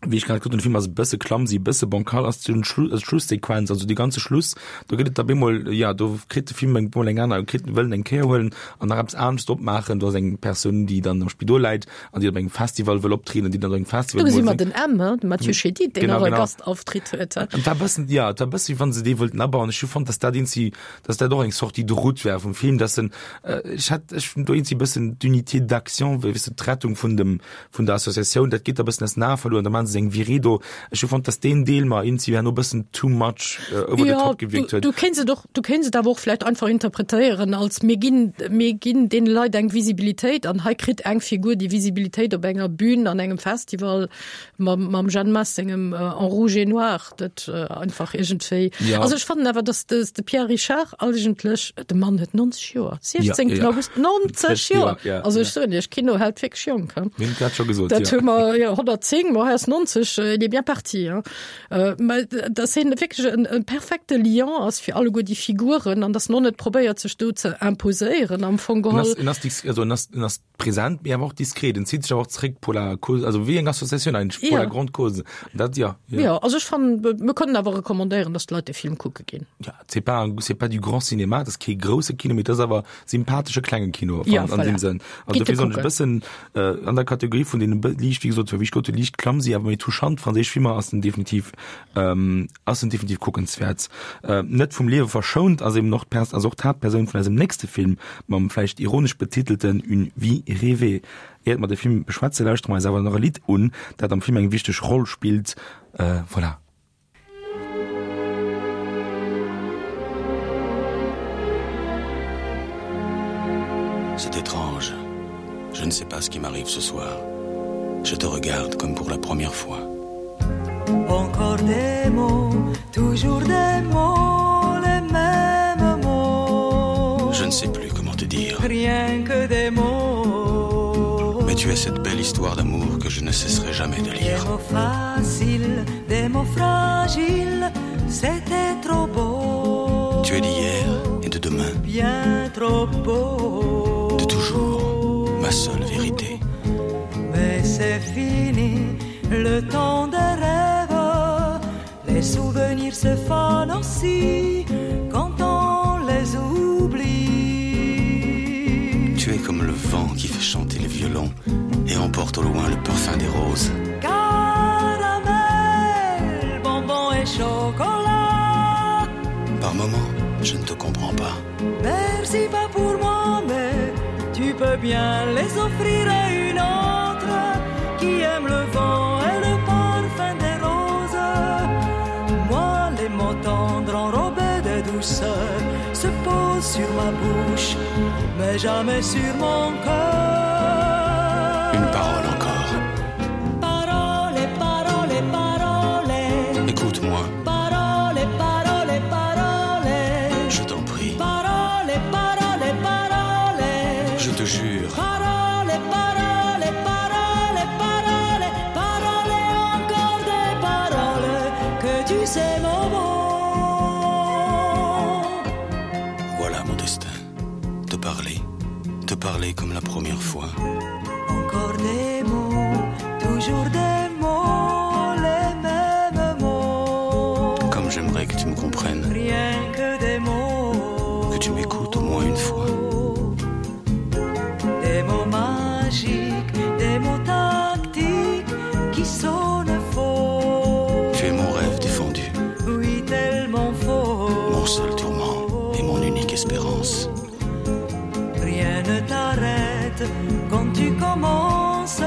wéi ech grad gesot hunn, de Film ass e bësse clumsy, e bësse bancal, ass den Schlu also d'Schlusssequenz, also dee ganze Schluss, do gëtt et da bemol, jo, do kritt de Film eng bemol eng aner, kritt wëll en eng Kéier huelen an nach eppes anescht drop maachen. Do ass eng Persoun, déi dann am Spidol läit an déi op engem Festival wëll optrieden an déi dann op engem Festival Do gesi emol mer singt. den M, hein, de Mathieu Chédid, deen Genau, och e genau. Gastauftritt huet, hein. An et war e bëssen, jo, et war e bësse wéi wann se dee wollten abauen. Ech hu fonnt, dass dat eenzi, dass dat och eng Sortie de route war vum Film, dass en, ech hat, ech hunn do eenzi e bëssen d'Unité d'action, wéi weess de, d'Rettung vun dem, vun der Associatioun, dat geet da bëssen aus den Ae verluer an da maachen se eng Virée do. Ech hu fonnt, dass deen Deel mer eenzi herno bëssen too much over the top gewierkt huet. Du kéints et och, du kéints et awer och vläicht einfach interpretéieren als mir ginn, mir ginn deene Leit eng Visibilitéit an hei kritt eng Figur déi Visibilitéit op enger Bühn an engem Festival mam, mam Jeanne Mas sengem En rouge et noir. Dat einfach iergendwéi. Ja. Also ech fannen awer, dass de, de Pierre Richard eigentlech, de Mann huet 90 Joer, 16. Ja, ja. August, 90 Joer! Ja, Also ech ja. soen Iech, Kino hält wierklech jonk. Hein. Mir hunn dat scho gesot, Dat ja. hu mer, jo, 110, ma hei ass 90, il est bien parti. Hein. Mä dass hien wierklech en, en perfekte Lien ass fir alleguer déi Figuren an dass en och net probéiert, sech do ze imposéieren am Fong En geholl. ass, en ass, dis-, also en ass, en ass Präsent, mee awer och diskret. En zitt sech awer och zréck pour la cause, also wéi eng Associatioun eigentlech, pour Ja. la grande cause. Dat, ja, ja. Ja, also ech fannen, mir kënnen awer recommandéieren, dass d'Leit de Film kucke ginn. Ja, c'est pas un, c'est pas du grand cinéma, dat ass kee grousse Kino, mee dat ass awer sympathesche klenge Kino Ja, an, an voilà. deem Sënn. Also Gitt e dofir soen ech e kucken. bëssen äh, an der Kategorie vun deene bë- liicht, wéi gesot, wéi ech gesot hunn, liicht clumsy, awer méi touchant franséisch Filmer ass en definitiv, ähm, ass en definitiv kuckenswäert. Net vum Liewe verschount ass eben och d'Pers ass och d'Haaptpersoun vun eisem nächste Film mam vläicht ironesch betitelten Une vie rêvée. Iert mer de Film beschwätze lauschtere mer eis awer nach e Lidd un, dat am Film eng wichteg Roll spillt. Voilà. C'est étrange. Je ne sais pas ce qui m'arrive ce soir. Je te regarde comme pour la première fois. Encore des mots, toujours des mots, les mêmes mots. Je ne sais plus comment te dire. Rien que des mots. Mais tu es cette belle histoire d'amour que je ne cesserai jamais de lire. Des mots faciles, des mots fragiles, c'était trop beau. Tu es d'hier et de demain. Bien trop beau. De toujours, ma seule vérité. Mais c'est fini, le temps des rêves. Les souvenirs se fanent aussi quand on les oublie. Tu es comme le vent qui fait chanter les violons et emporte au loin le parfum des roses. Caramel, bonbon et chocolat. Par moments, je ne te comprends pas. Merci pas pour moi, mais tu peux bien les offrir à une autre qui aime le vent et le parfum des roses. Moi, les mots tendres enrobés de douceur se posent sur ma bouche, mais jamais sur mon cœur. Une parole encore. Parole, parole, parole. Écoute. Écoute-moi. Parole, parole, parole. Je t'en prie. Parole, parole, parole. Je te jure. Parole, parole, parole, parole, parole, encore des paroles que tu sais mon bon. Voilà mon destin. Te parler, te parler comme la première fois. Encore des mots, toujours des mots, les mêmes mots. Comme j'aimerais que tu me comprennes. Rien que des mots. Que tu m'écoutes au moins une fois. Des mots magiques, des mots tactiques qui sonnent faux. Tu es mon rêve défendu. Oui, tellement faux. Mon seul tourment et mon unique espérance. Rien ne t'arrête quand tu commences.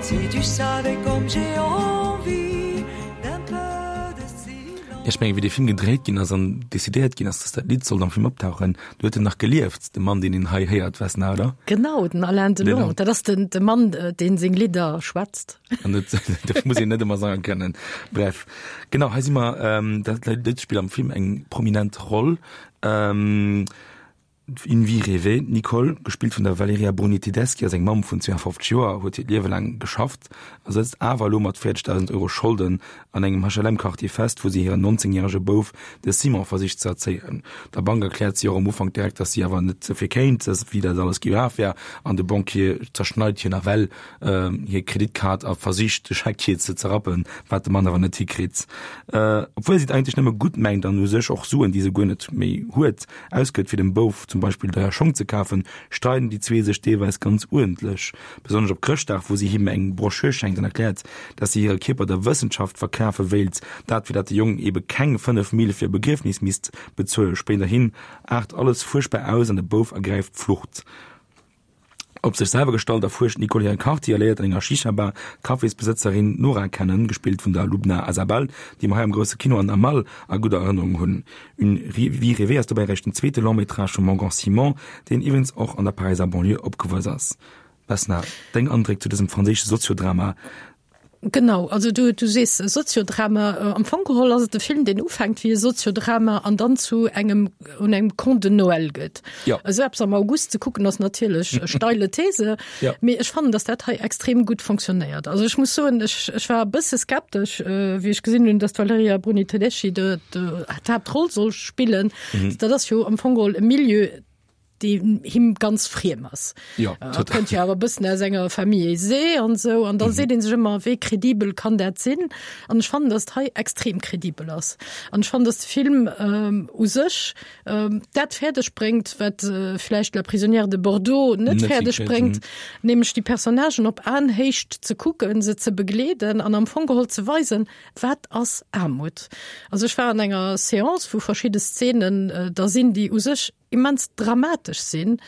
Si tu savais comme j'ai envie d'un peu de silence. Ech mengen, wéi dee Film gedréit ginn ass an decidéiert ginn ass, dass dat Lidd sollt am Film optauchen, do huet en nach gelieft, de Mann, deen een hei héiert, Vesna, oder? Genau, den Alain Delon. Dat ass den, de Mann, deen seng Lidder schwätzt. An dat, dat muss een net ëmmer sange kënnen. Bref, genau, hei si mer, dat Lidd spillt am Film eng prominent Roll. Ähm, Une vie rêvée, d'Nicole, gespillt vun der Valeria Bruni Tedeschi, ass eng Mamm vun 52 Joer, huet hiert Liewe laang geschafft a sëtzt awer elo mat 40.000 Euro Scholden an engem HLM-Quartier fest, wou si hiren 19 järege Bouf, de Simon, versicht ze erzéien. Der Bank erkläert si och am Ufank direkt, dass si awer net dofir kéint, wéi dat alles gelaf wär an de Banquier zerschneit hir nawell hir Kreditkaart a versicht de Scheck hir ze zerrappen, wat de Mann awer net hikritt. Obwuel si et eigentlech nëmme gutt mengt an u sech och Suen, déi se guer net méi huet, ausgëtt fir dem Bouf zum Beispill deier Schong ze kafen, streiden déi zwee sech deelweis ganz uerdentlech. Besonnesch op Chrëschtdag, wou si him eng Broschür schenkt an erkläert, dass si hire Kierper der Wëssenschaft verkafe wéilt, dat fir dat de Jong ebe keng 5 Mille fir e Begriefnis misst bezuelen. Spéiderhin aart alles fuerchtbar aus an de Bouf ergräift d'Flucht. Op sech selwer gestallt erfuerscht d'Nicole hire Quartier a léiert an enger Shisha-Bar d'Cafésbesëtzerin Nora kennen, gespillt vun der Lubna Azabal, déi mer hei am grousse Kino an Amal a gudder Erënnerung hunn. Une vie rêvée ass dobäi eréischt den zweete Long-métrage vum Morgan Simon, deen iwwregens och an der Paräiser Banlieue opgewuess ass. Vesna, deng Andréck zu dësem franséische Soziodrama? Genau, also du, du sees Soziodrama. Am Fong geholl ass et e Film, deen ufänkt wéi e Soziodrama an dann zu engem un engem Conte de Noël gëtt. Ja. Esou eppes am August ze kucken ass natierlech e steile These, Ja. mee ech fannen, datt dat hei extrem gutt fonctionnéiert. Also ech muss soen, ech, ech war e bësse skeptesch, wéi ech gesinn hunn, datt d'Valeria Bruni Tedeschi de, de, d'Haaptroll soll spillen. Dat ass jo am Fong geholl e Milieu, deen him ganz friem ass. Ja, äh, kënnt jo awer bëssen aus enger Famille aisée an sou an dann mhm. seet een sech ëmmer wéi kredibel kann dat sinn an ech fannen, dass hei extrem kredibel ass. An ech fannen, dass de Film ähm, u sech ähm, dat fäerdeg bréngt, wat äh, vläicht La Prisonnière de Bordeaux net fäerdeg bréngt, mhm. nämlech déi Personnagen op Aenhéicht ze kucken, se ze begleeden an am Fong geholl ze weisen, wat ass Aarmut. Also ech war an enger Seance, wou verschidde Szenen äh, da sinn, déi u sech immens dramatesch sinn,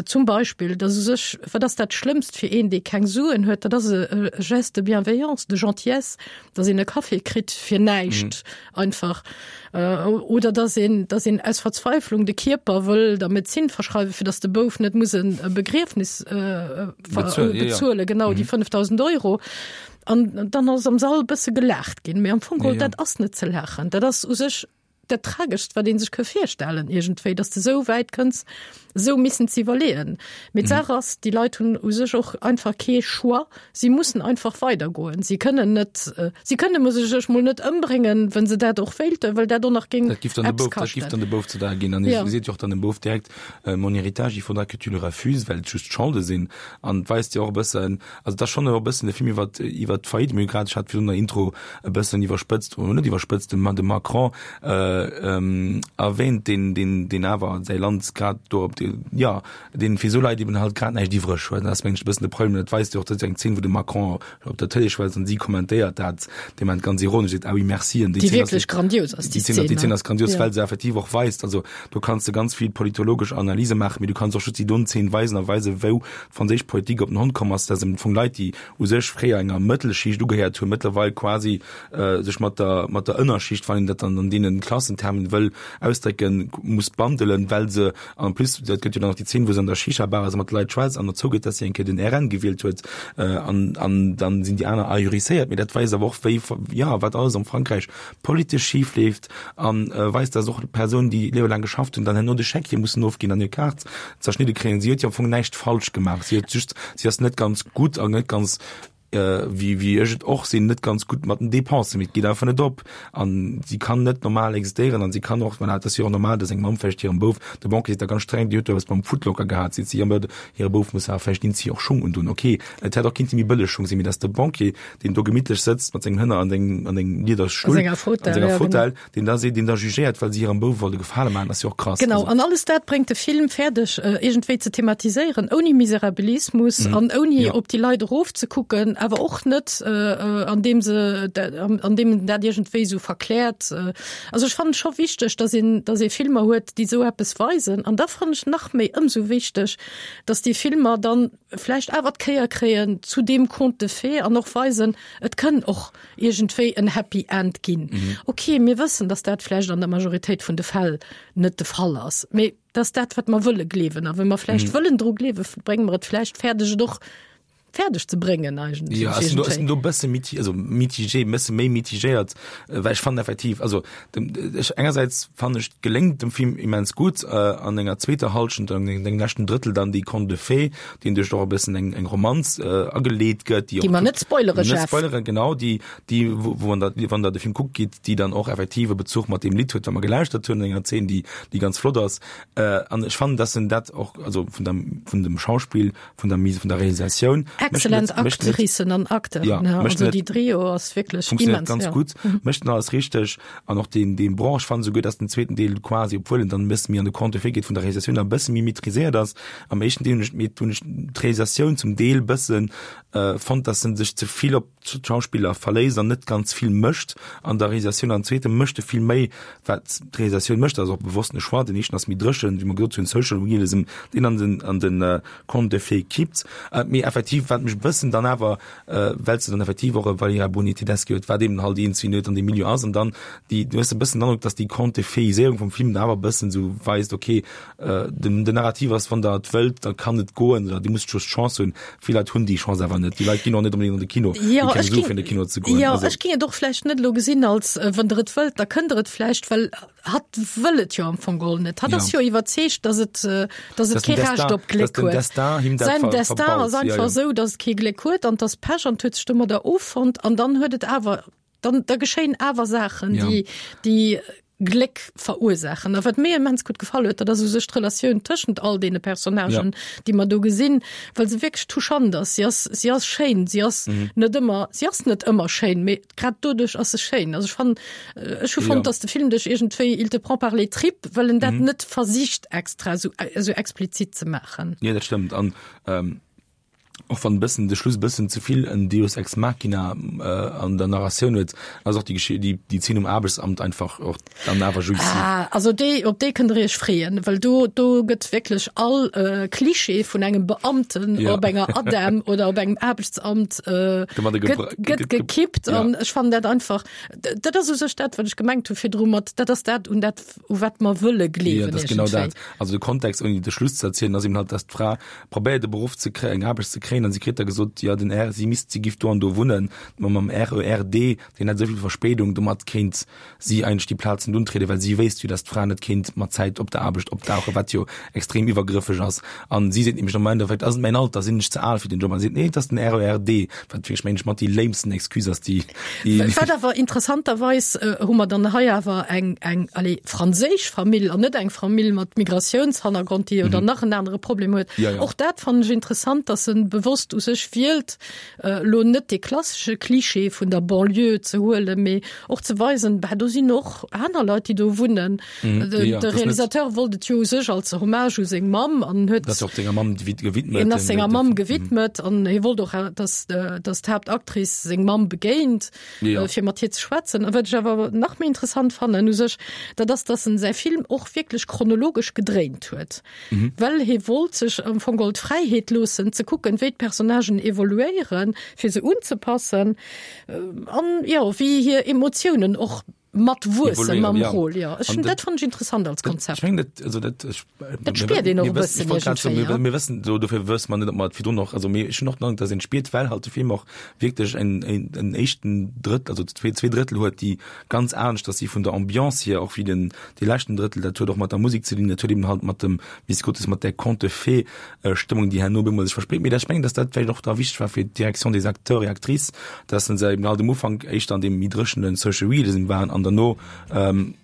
zum Beispill, dass u sech, wat ass dat Schlëmmst fir een, dee keng Suen huet, dat ass e Geste de bienveillance, de gentillesse, dass een e Café kritt fir näischt einfach, oder dass een, dass een aus Verzweiflung de Kierper wëll der Medezin verschreiwen, fir dass de Bouf net muss e Begriefnis bezuelen, genau déi 5.000 Euro. An dann ass am Sall e bësse gelaacht ginn, mee am Fong geholl, dat ass net ze laachen, dat ass u sech dat Trageschst, wat ee sech ka virstellen iergendwéi, datt s de esou wäit kënns, esou missen ze iwwerleeën. Mee d'Saach ass, déi Leit hunn u sech och einfach kee Choix, si mussen einfach weidergoen. Si kënnen net, si kënne u sech mol net ëmbréngen, wa se dat och wéilten, well dat och nach géing Dat giff dann de eppes Bouf, dat giff kaschten. dann de Bouf ze daae ginn. An Ja. hie seet jo och dann dem Bouf direkt, Mon héritage, il faudra que tu le refuses, well et just Scholde sinn. An et weist jo och e bëssen, Also et ass schonn e bëssen e Film iwwer iwwer d'Faillite. Mir hu grad, ech hat virun der Intro e bëssen iwwerspëtzt, oder net iwwerspëtzt, de de Macron erwähnt, deen deen deen awer säi Land grad do op de, jo, deen fir esou Leit eben halt grad näischt iwwreg huet. Dat ass mengen ech e bëssen de Problem. Dat weist jo och, dat ass eng Zeen, wou de Macron op der Tëlee schwätzt an si kommentéiert dat dee Moment ganz ironesch, seet, ah oui, merci. An déi Zeen ass, déi wierklech grandios ass, déi Zeen, déi Zeen ass grandios, well se effektiv och weist, also do kanns de ganz vill politologesch Analyse maachen, mee du kanns och just déi don Zeen weisen a weisen, wou d'franséisch Politik op den Hond komm ass, dass am Fong Leit, déi u sech fréier enger Mëttelschicht ugehéiert hunn, mëttlerweil quasi sech mat der, mat der Ënnerschicht, wann een dat dann an deene Klassen. Klassentermen wëll ausdrécken, muss bandelen, well se, an en plus, dat gëtt jo dann nach déi Zeen, wou se an der Shisha-Bar ass a mat de Leit schwätzt an dozou gëtt, dass si eng Kéier den RN gewielt huet, an, an dann sinn déi aner ahurisséiert. Mee dat weist awer och, wéi, jo, wat alles am Frankräich politesch schif leeft a weist, dass och Persounen, déi liewelaang geschafft hunn, dann herno de Scheck hier mussen ofginn an hir Kaart zerschnidde kréien. Si huet jo am Fong näischt falsch gemaach. Si huet just, si ass net ganz gutt an net ganz wéi wéi ech et och sinn, net ganz gutt mat den Dépensen, mee et geet einfach net op an si kann net normal existéieren an si kann och, voilà, et ass jo och normal, dass eng Mamm vläicht hirem Bouf, de Banquier seet da ganz streng, Dir hutt do eppes beim Footlocker gehat, seet si, jo, mä hire Bouf muss awer vläicht eenzi och Schung undun. Ok, et hätt och kinnte méi bëlleg Schung sinn, mee dass de Banquier, deen do gemittlech sëtzt mat sengem Hënner an sengem an engem Liederstull, A senger Fauteuil, an senger ja, genau. Fauteuil, deen da seet, deen da jugéiert, well si hirem Bouf wollt e Gefale maachen, ass jo och krass. Genau, Also. an alles dat bréngt de Film fäerdeg, iergendwéi ze thematiséieren, ouni Miserabilismus an ouni Ja. op déi Leit erofzekucken, awer och net, andeem se, andeem en dat iergendwéi esou verkläert. Also ech fannen et scho wichteg, dass een, dass ee Filmer huet, déi esou eppes weisen. An da fannen ech nach méi ëmsou wichteg, dass déi Filmer dann vläicht awer d'Kéier kréien zu deem Conte de fées an och weisen, et kënn och iergendwéi en Happy End ginn. Ok, mir wëssen, datt dat vläicht an der Majoritéit vun de Fäll net de Fall ass, mee dat ass dat, wat mer wëlle gleewen. A wa mer vläicht wëllen dru gleewen, brénge mer et vläicht fäerdeg, et och fäerdeg ze bréngen eigentlech. Jo, ech sinn do, ech sinn do e bësse miti-, also mitigé, e bësse méi mitigéiert, well ech fannen effektiv, also dem, ech engersäits fannen ech, geléngt dem Film immens gutt an enger zweeter Hallschent, an engem leschten Drëttel dann déi Conte de fées, deen duerch och e bëssen eng, eng Romanz ageleet gëtt, déi och. Déi mer net spoilere, Jeff. Net spoileren, genau, déi, déi, wou, wou an der, wann der de Film kuckt gitt, déi dann och effektiv e Bezuch mat deem Lidd huet, wat mer gelauschtert hunn, an enger Zeen, déi, déi ganz flott ass. An ech fannen, dass en dat och, also vun der, vun dem Schauspill, vun der Mise, vun der Realisatioun. Excellent Actricen an Acteuren, ja, ja, also déi Trio ass wierklech immens, ganz ja. gutt, mécht en alles richteg an och deen, deen Branche fannen esouguer, dass den zweeten Deel quasi, obwuel en dann e bësse méi an de Conte de fées geet, vun der Realisatioun e bësse méi maîtriséiert ass. Am éischten Deel hunn ech, mee hunn ech d'Realisatioun zum Deel bëssen fonnt, dass en sech ze vill op d'Schauspiller verléisst an net ganz vill mécht an der Realisatioun. Am zweete mécht e vill méi, wat d'Realisatioun mécht, dat ass och bewosst e Choix. Den éischten ass méi dréchen, wéi mer gesot hunn, Social Realism, deen an den, an den Conte de fées kippt. Mee effektiv, wat mech e bëssen dann awer, well s de dann effektiv och e Valéria Bruni Tedeschi huet, wat eben halt een Cineast an deem Milieu ass, an dann déi, du hues e bëssen den Androck, dass déi Conte de fées-Iséierung vum Film dann awer e bëssen esou weist, okay, Den, den Narrativ ass, wann der et wëllt, da kann et goen, oder Dir musst just d'Chance hunn. Vill Leit hunn déi Chance awer net. Déi Leit ginn och net onbedéngt an de Kino, Ja, déi keng ech Sue ging, fir an de Kino ze goen. ja, Also, ech ging et och vläicht net elo gesinn als, äh, wann der et wëllt, da kënnt der et vläicht, well hatt wëll et jo am Fong geholl net. Hatt Ja. ass jo iwwerzeegt, dass et, äh, dass et dass den kee Recht Destin, op Gléck dass den huet. Destin him dat Säin ver, Destin verbaut. ass Ja, einfach ja. esou, dass et kee Gléck huet an dass Pech an huet sech domadder offonnt an dann huet et awer, dann, da geschéien awer Saachen, Ja. déi, déi Gléck verursaachen. A wat mir immens gutt gefall huet, dat ass u sech d'Relatioun tëschent all deene Personnagen, ja. déi mer do gesinn, well se wierklech touchant ass. Si ass, si ass schéin, si ass mhm. net ëmmer, si ass net ëmmer schéin, mee grad doduerch ass se schéin. Also ech fannen, äh, ech hu fonnt, ja. dass de Film dech iergendwéi, il te prend par les tripes, well en dat mhm. net versicht extra sou, sou explizit ze maachen. Ja, dat stëmmt. An ähm och wann bëssen de Schluss bëssen ze vill en Deus ex machina äh, an der Narratioun huet, ass och déi Geschi déi déi Zeen um Aarbechtsamt einfach och dann awer jouissiv. Ah, also déi op déi kënnt der iech freeën, well do do gëtt wierklech all äh, Klischee vun engem Beamten Ja. op enger ADEM oder op engem Aarbechtsamt äh, Domadder gëtt gebra- gëtt gëtt ge- gekippt ja. an ech fannen dat einfach d- dat ass u sech dat wat ech gemengt hu virdru mat dat ass dat un dat u wat mer wëlle Ja, gleewen dat ass genau iergendwéi. dat. Also de Kontext, ouni de Schluss ze erzielen, ass eben halt, dass d'Fra probéiert e Beruff ze kréien, eng Aarbecht ze kréien an si kritt da gesot, jo den R, si misst, si giff do an do wunnen, ma mam RER D, deen hätt esou vill Verspéidung, domat kéint si eigentlech déi Plaz net untrieden, well si wéisst jo, dass d'Fra net kéint mat Zäit op der Aarbecht opdauchen, wat jo extrem iwwergrëffeg ass. An si seet nämlech am Endeffekt, ass et mäin Alter, sinn ech ze al fir den Job? An si seet, nee, et ass den RER D, wat wierklech mengen ech mat déi léimsten Excuse ass, déi, déi. Wat awer interessanterweis hu mer dann hei awer eng, eng, allez, franséisch Famill an net eng Famill mat Migratiounshannergrond, déi jo dann nach en anere Problem huet. Ja, ja. Och dat fannen ech interessant, dass en bewosst u sech wielt, elo net dee klassesche Klischee vun der Banlieue ze huelen, mee och ze weisen, bah, do sinn och aner Leit, déi do wunnen. Mhm. De, Ja, ja, de das net. Realisateur wollt et jo u sech als Hommage u seng Mamm an huet Dat ass och senger Mamm gewidmet. En ass senger den- Mamm den- gewidmet an hie wollt och, äh, dass, äh, dass d'Haaptactrice seng Mamm begéint, Ja. äh, fir mat hir ze schwätzen. A wat ech awer nach méi interessant fannen u sech, dat ass, dass en säi Film och wierklech chronologesch gedréint huet. Mhm. Well hie wollt sech am Fong geholl d'Fräiheet loossen, ze kucken, wéi d'Personnagen evoluéieren, fir se unzepassen, äh, an jo, wéi hir Emotiounen och. Mat wuessen mam Rôle, jo. Ech hunn dat fannen ech interessant als Konzept. Ech mengen dat, also dat, ech, dat spiert een och e bëssen iergendwéi, ja. Mir wëssen, do dofir wësse mer net, ob mer et virdrun och, also mir, ech hunn och den Androck, datt een spiert, well halt de Film och wierklech en, en, en éischten Drëttel, also zwee, zwee Drëttel huet, déi ganz aneschters si vun der Ambiance hier, och wéi den, dee leschten Drëttel, dat huet och mat der Musek ze dinn, dat huet eben halt mat dem, wéi s de gesot hues, mat där Conte-de-fées-Stëmmung, déi herno op eemol sech verspréit. Mee dat, ech mengen, datt dat vläicht och da wichteg war fir d'Direction des acteurs et actrices, dass se eben halt um Ufank éischter an deem méi dréchene Social Realism waren an derno,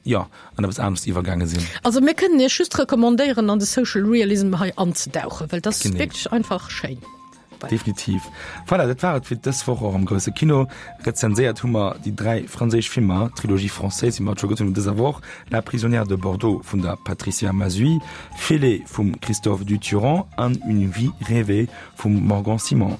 jo, an eppes anescht iwwergaange sinn. Also mir kënnen Iech just recommandéieren, an de Social Realism hei anzedauchen, well dat ass wierklech einfach schéin. Definitiv. Voilà, dat war et fir dës Woch och am grousse Kino. Rezenséiert hu mer déi 3 franséisch Filmer, Trilogie française, wéi mer et scho gesot hunn, dëser Woch, La prisonnière de Bordeaux vun der Patricia Mazuy, Félé vum Christophe Duturand an Une vie rêvée vum Morgan Simon.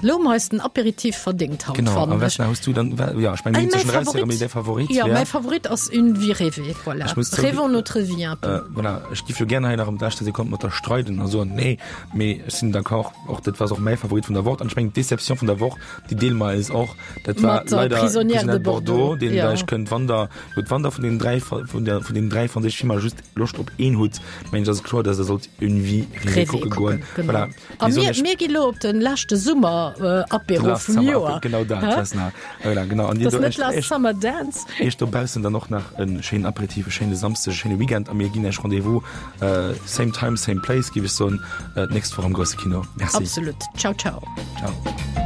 Lo hu mer eis den Apéritif verdéngt haut, Genau, fannen a ech. Vesna, hues du dann, ja, ech mengen, Ey, mir hunn mäi zwëschen raus, Favorit, mee däi Favorit ja, wär? mäi Favorit ass Une vie rêvée, voilà. Ech muss zouginn, Rêvons notre vie un peu. Äh, voilà, ech giff jo gären hei nach ëm d'leschte Sekonn mat der streiden a soen, nee, mee ech sinn d'accord, och dat war och mäi Favorit vun der Woch. An ech mengen, d'Deception vun der Woch, déi deele mer eis och, dat war Mat der leider Prisonnière de Prisonnière de Bordeaux, Bordeaux, deen ja. der ech kënnt, wann der, gutt, wann der vun deenen 3, vun der, vun deenen 3 franséische Filmer just Loscht op een hutt, mengen ech, ass et kloer, dass der sollt Une vie rêvée Rêvée kucke goen. kucken, genau. Voilà. A Mir soen mir, iech- mir gi lo op den leschte Summer äh, Apéro Last vum Summer Joer. Apéro, genau dat, Hä? Vesna. Voilà, genau. An dir Das do net echt, Last echt, Summer Dance. Iech dobaussen dann och nach en schéinen Apéritif, e schéine Samsdeg, e schéine Weekend a mir ginn Iech Rendez-vous äh, same time, same place, géif ech soen, äh, d'nächst Woch am grousse Kino. Merci. Absolut. Ciao, ciao. Ciao.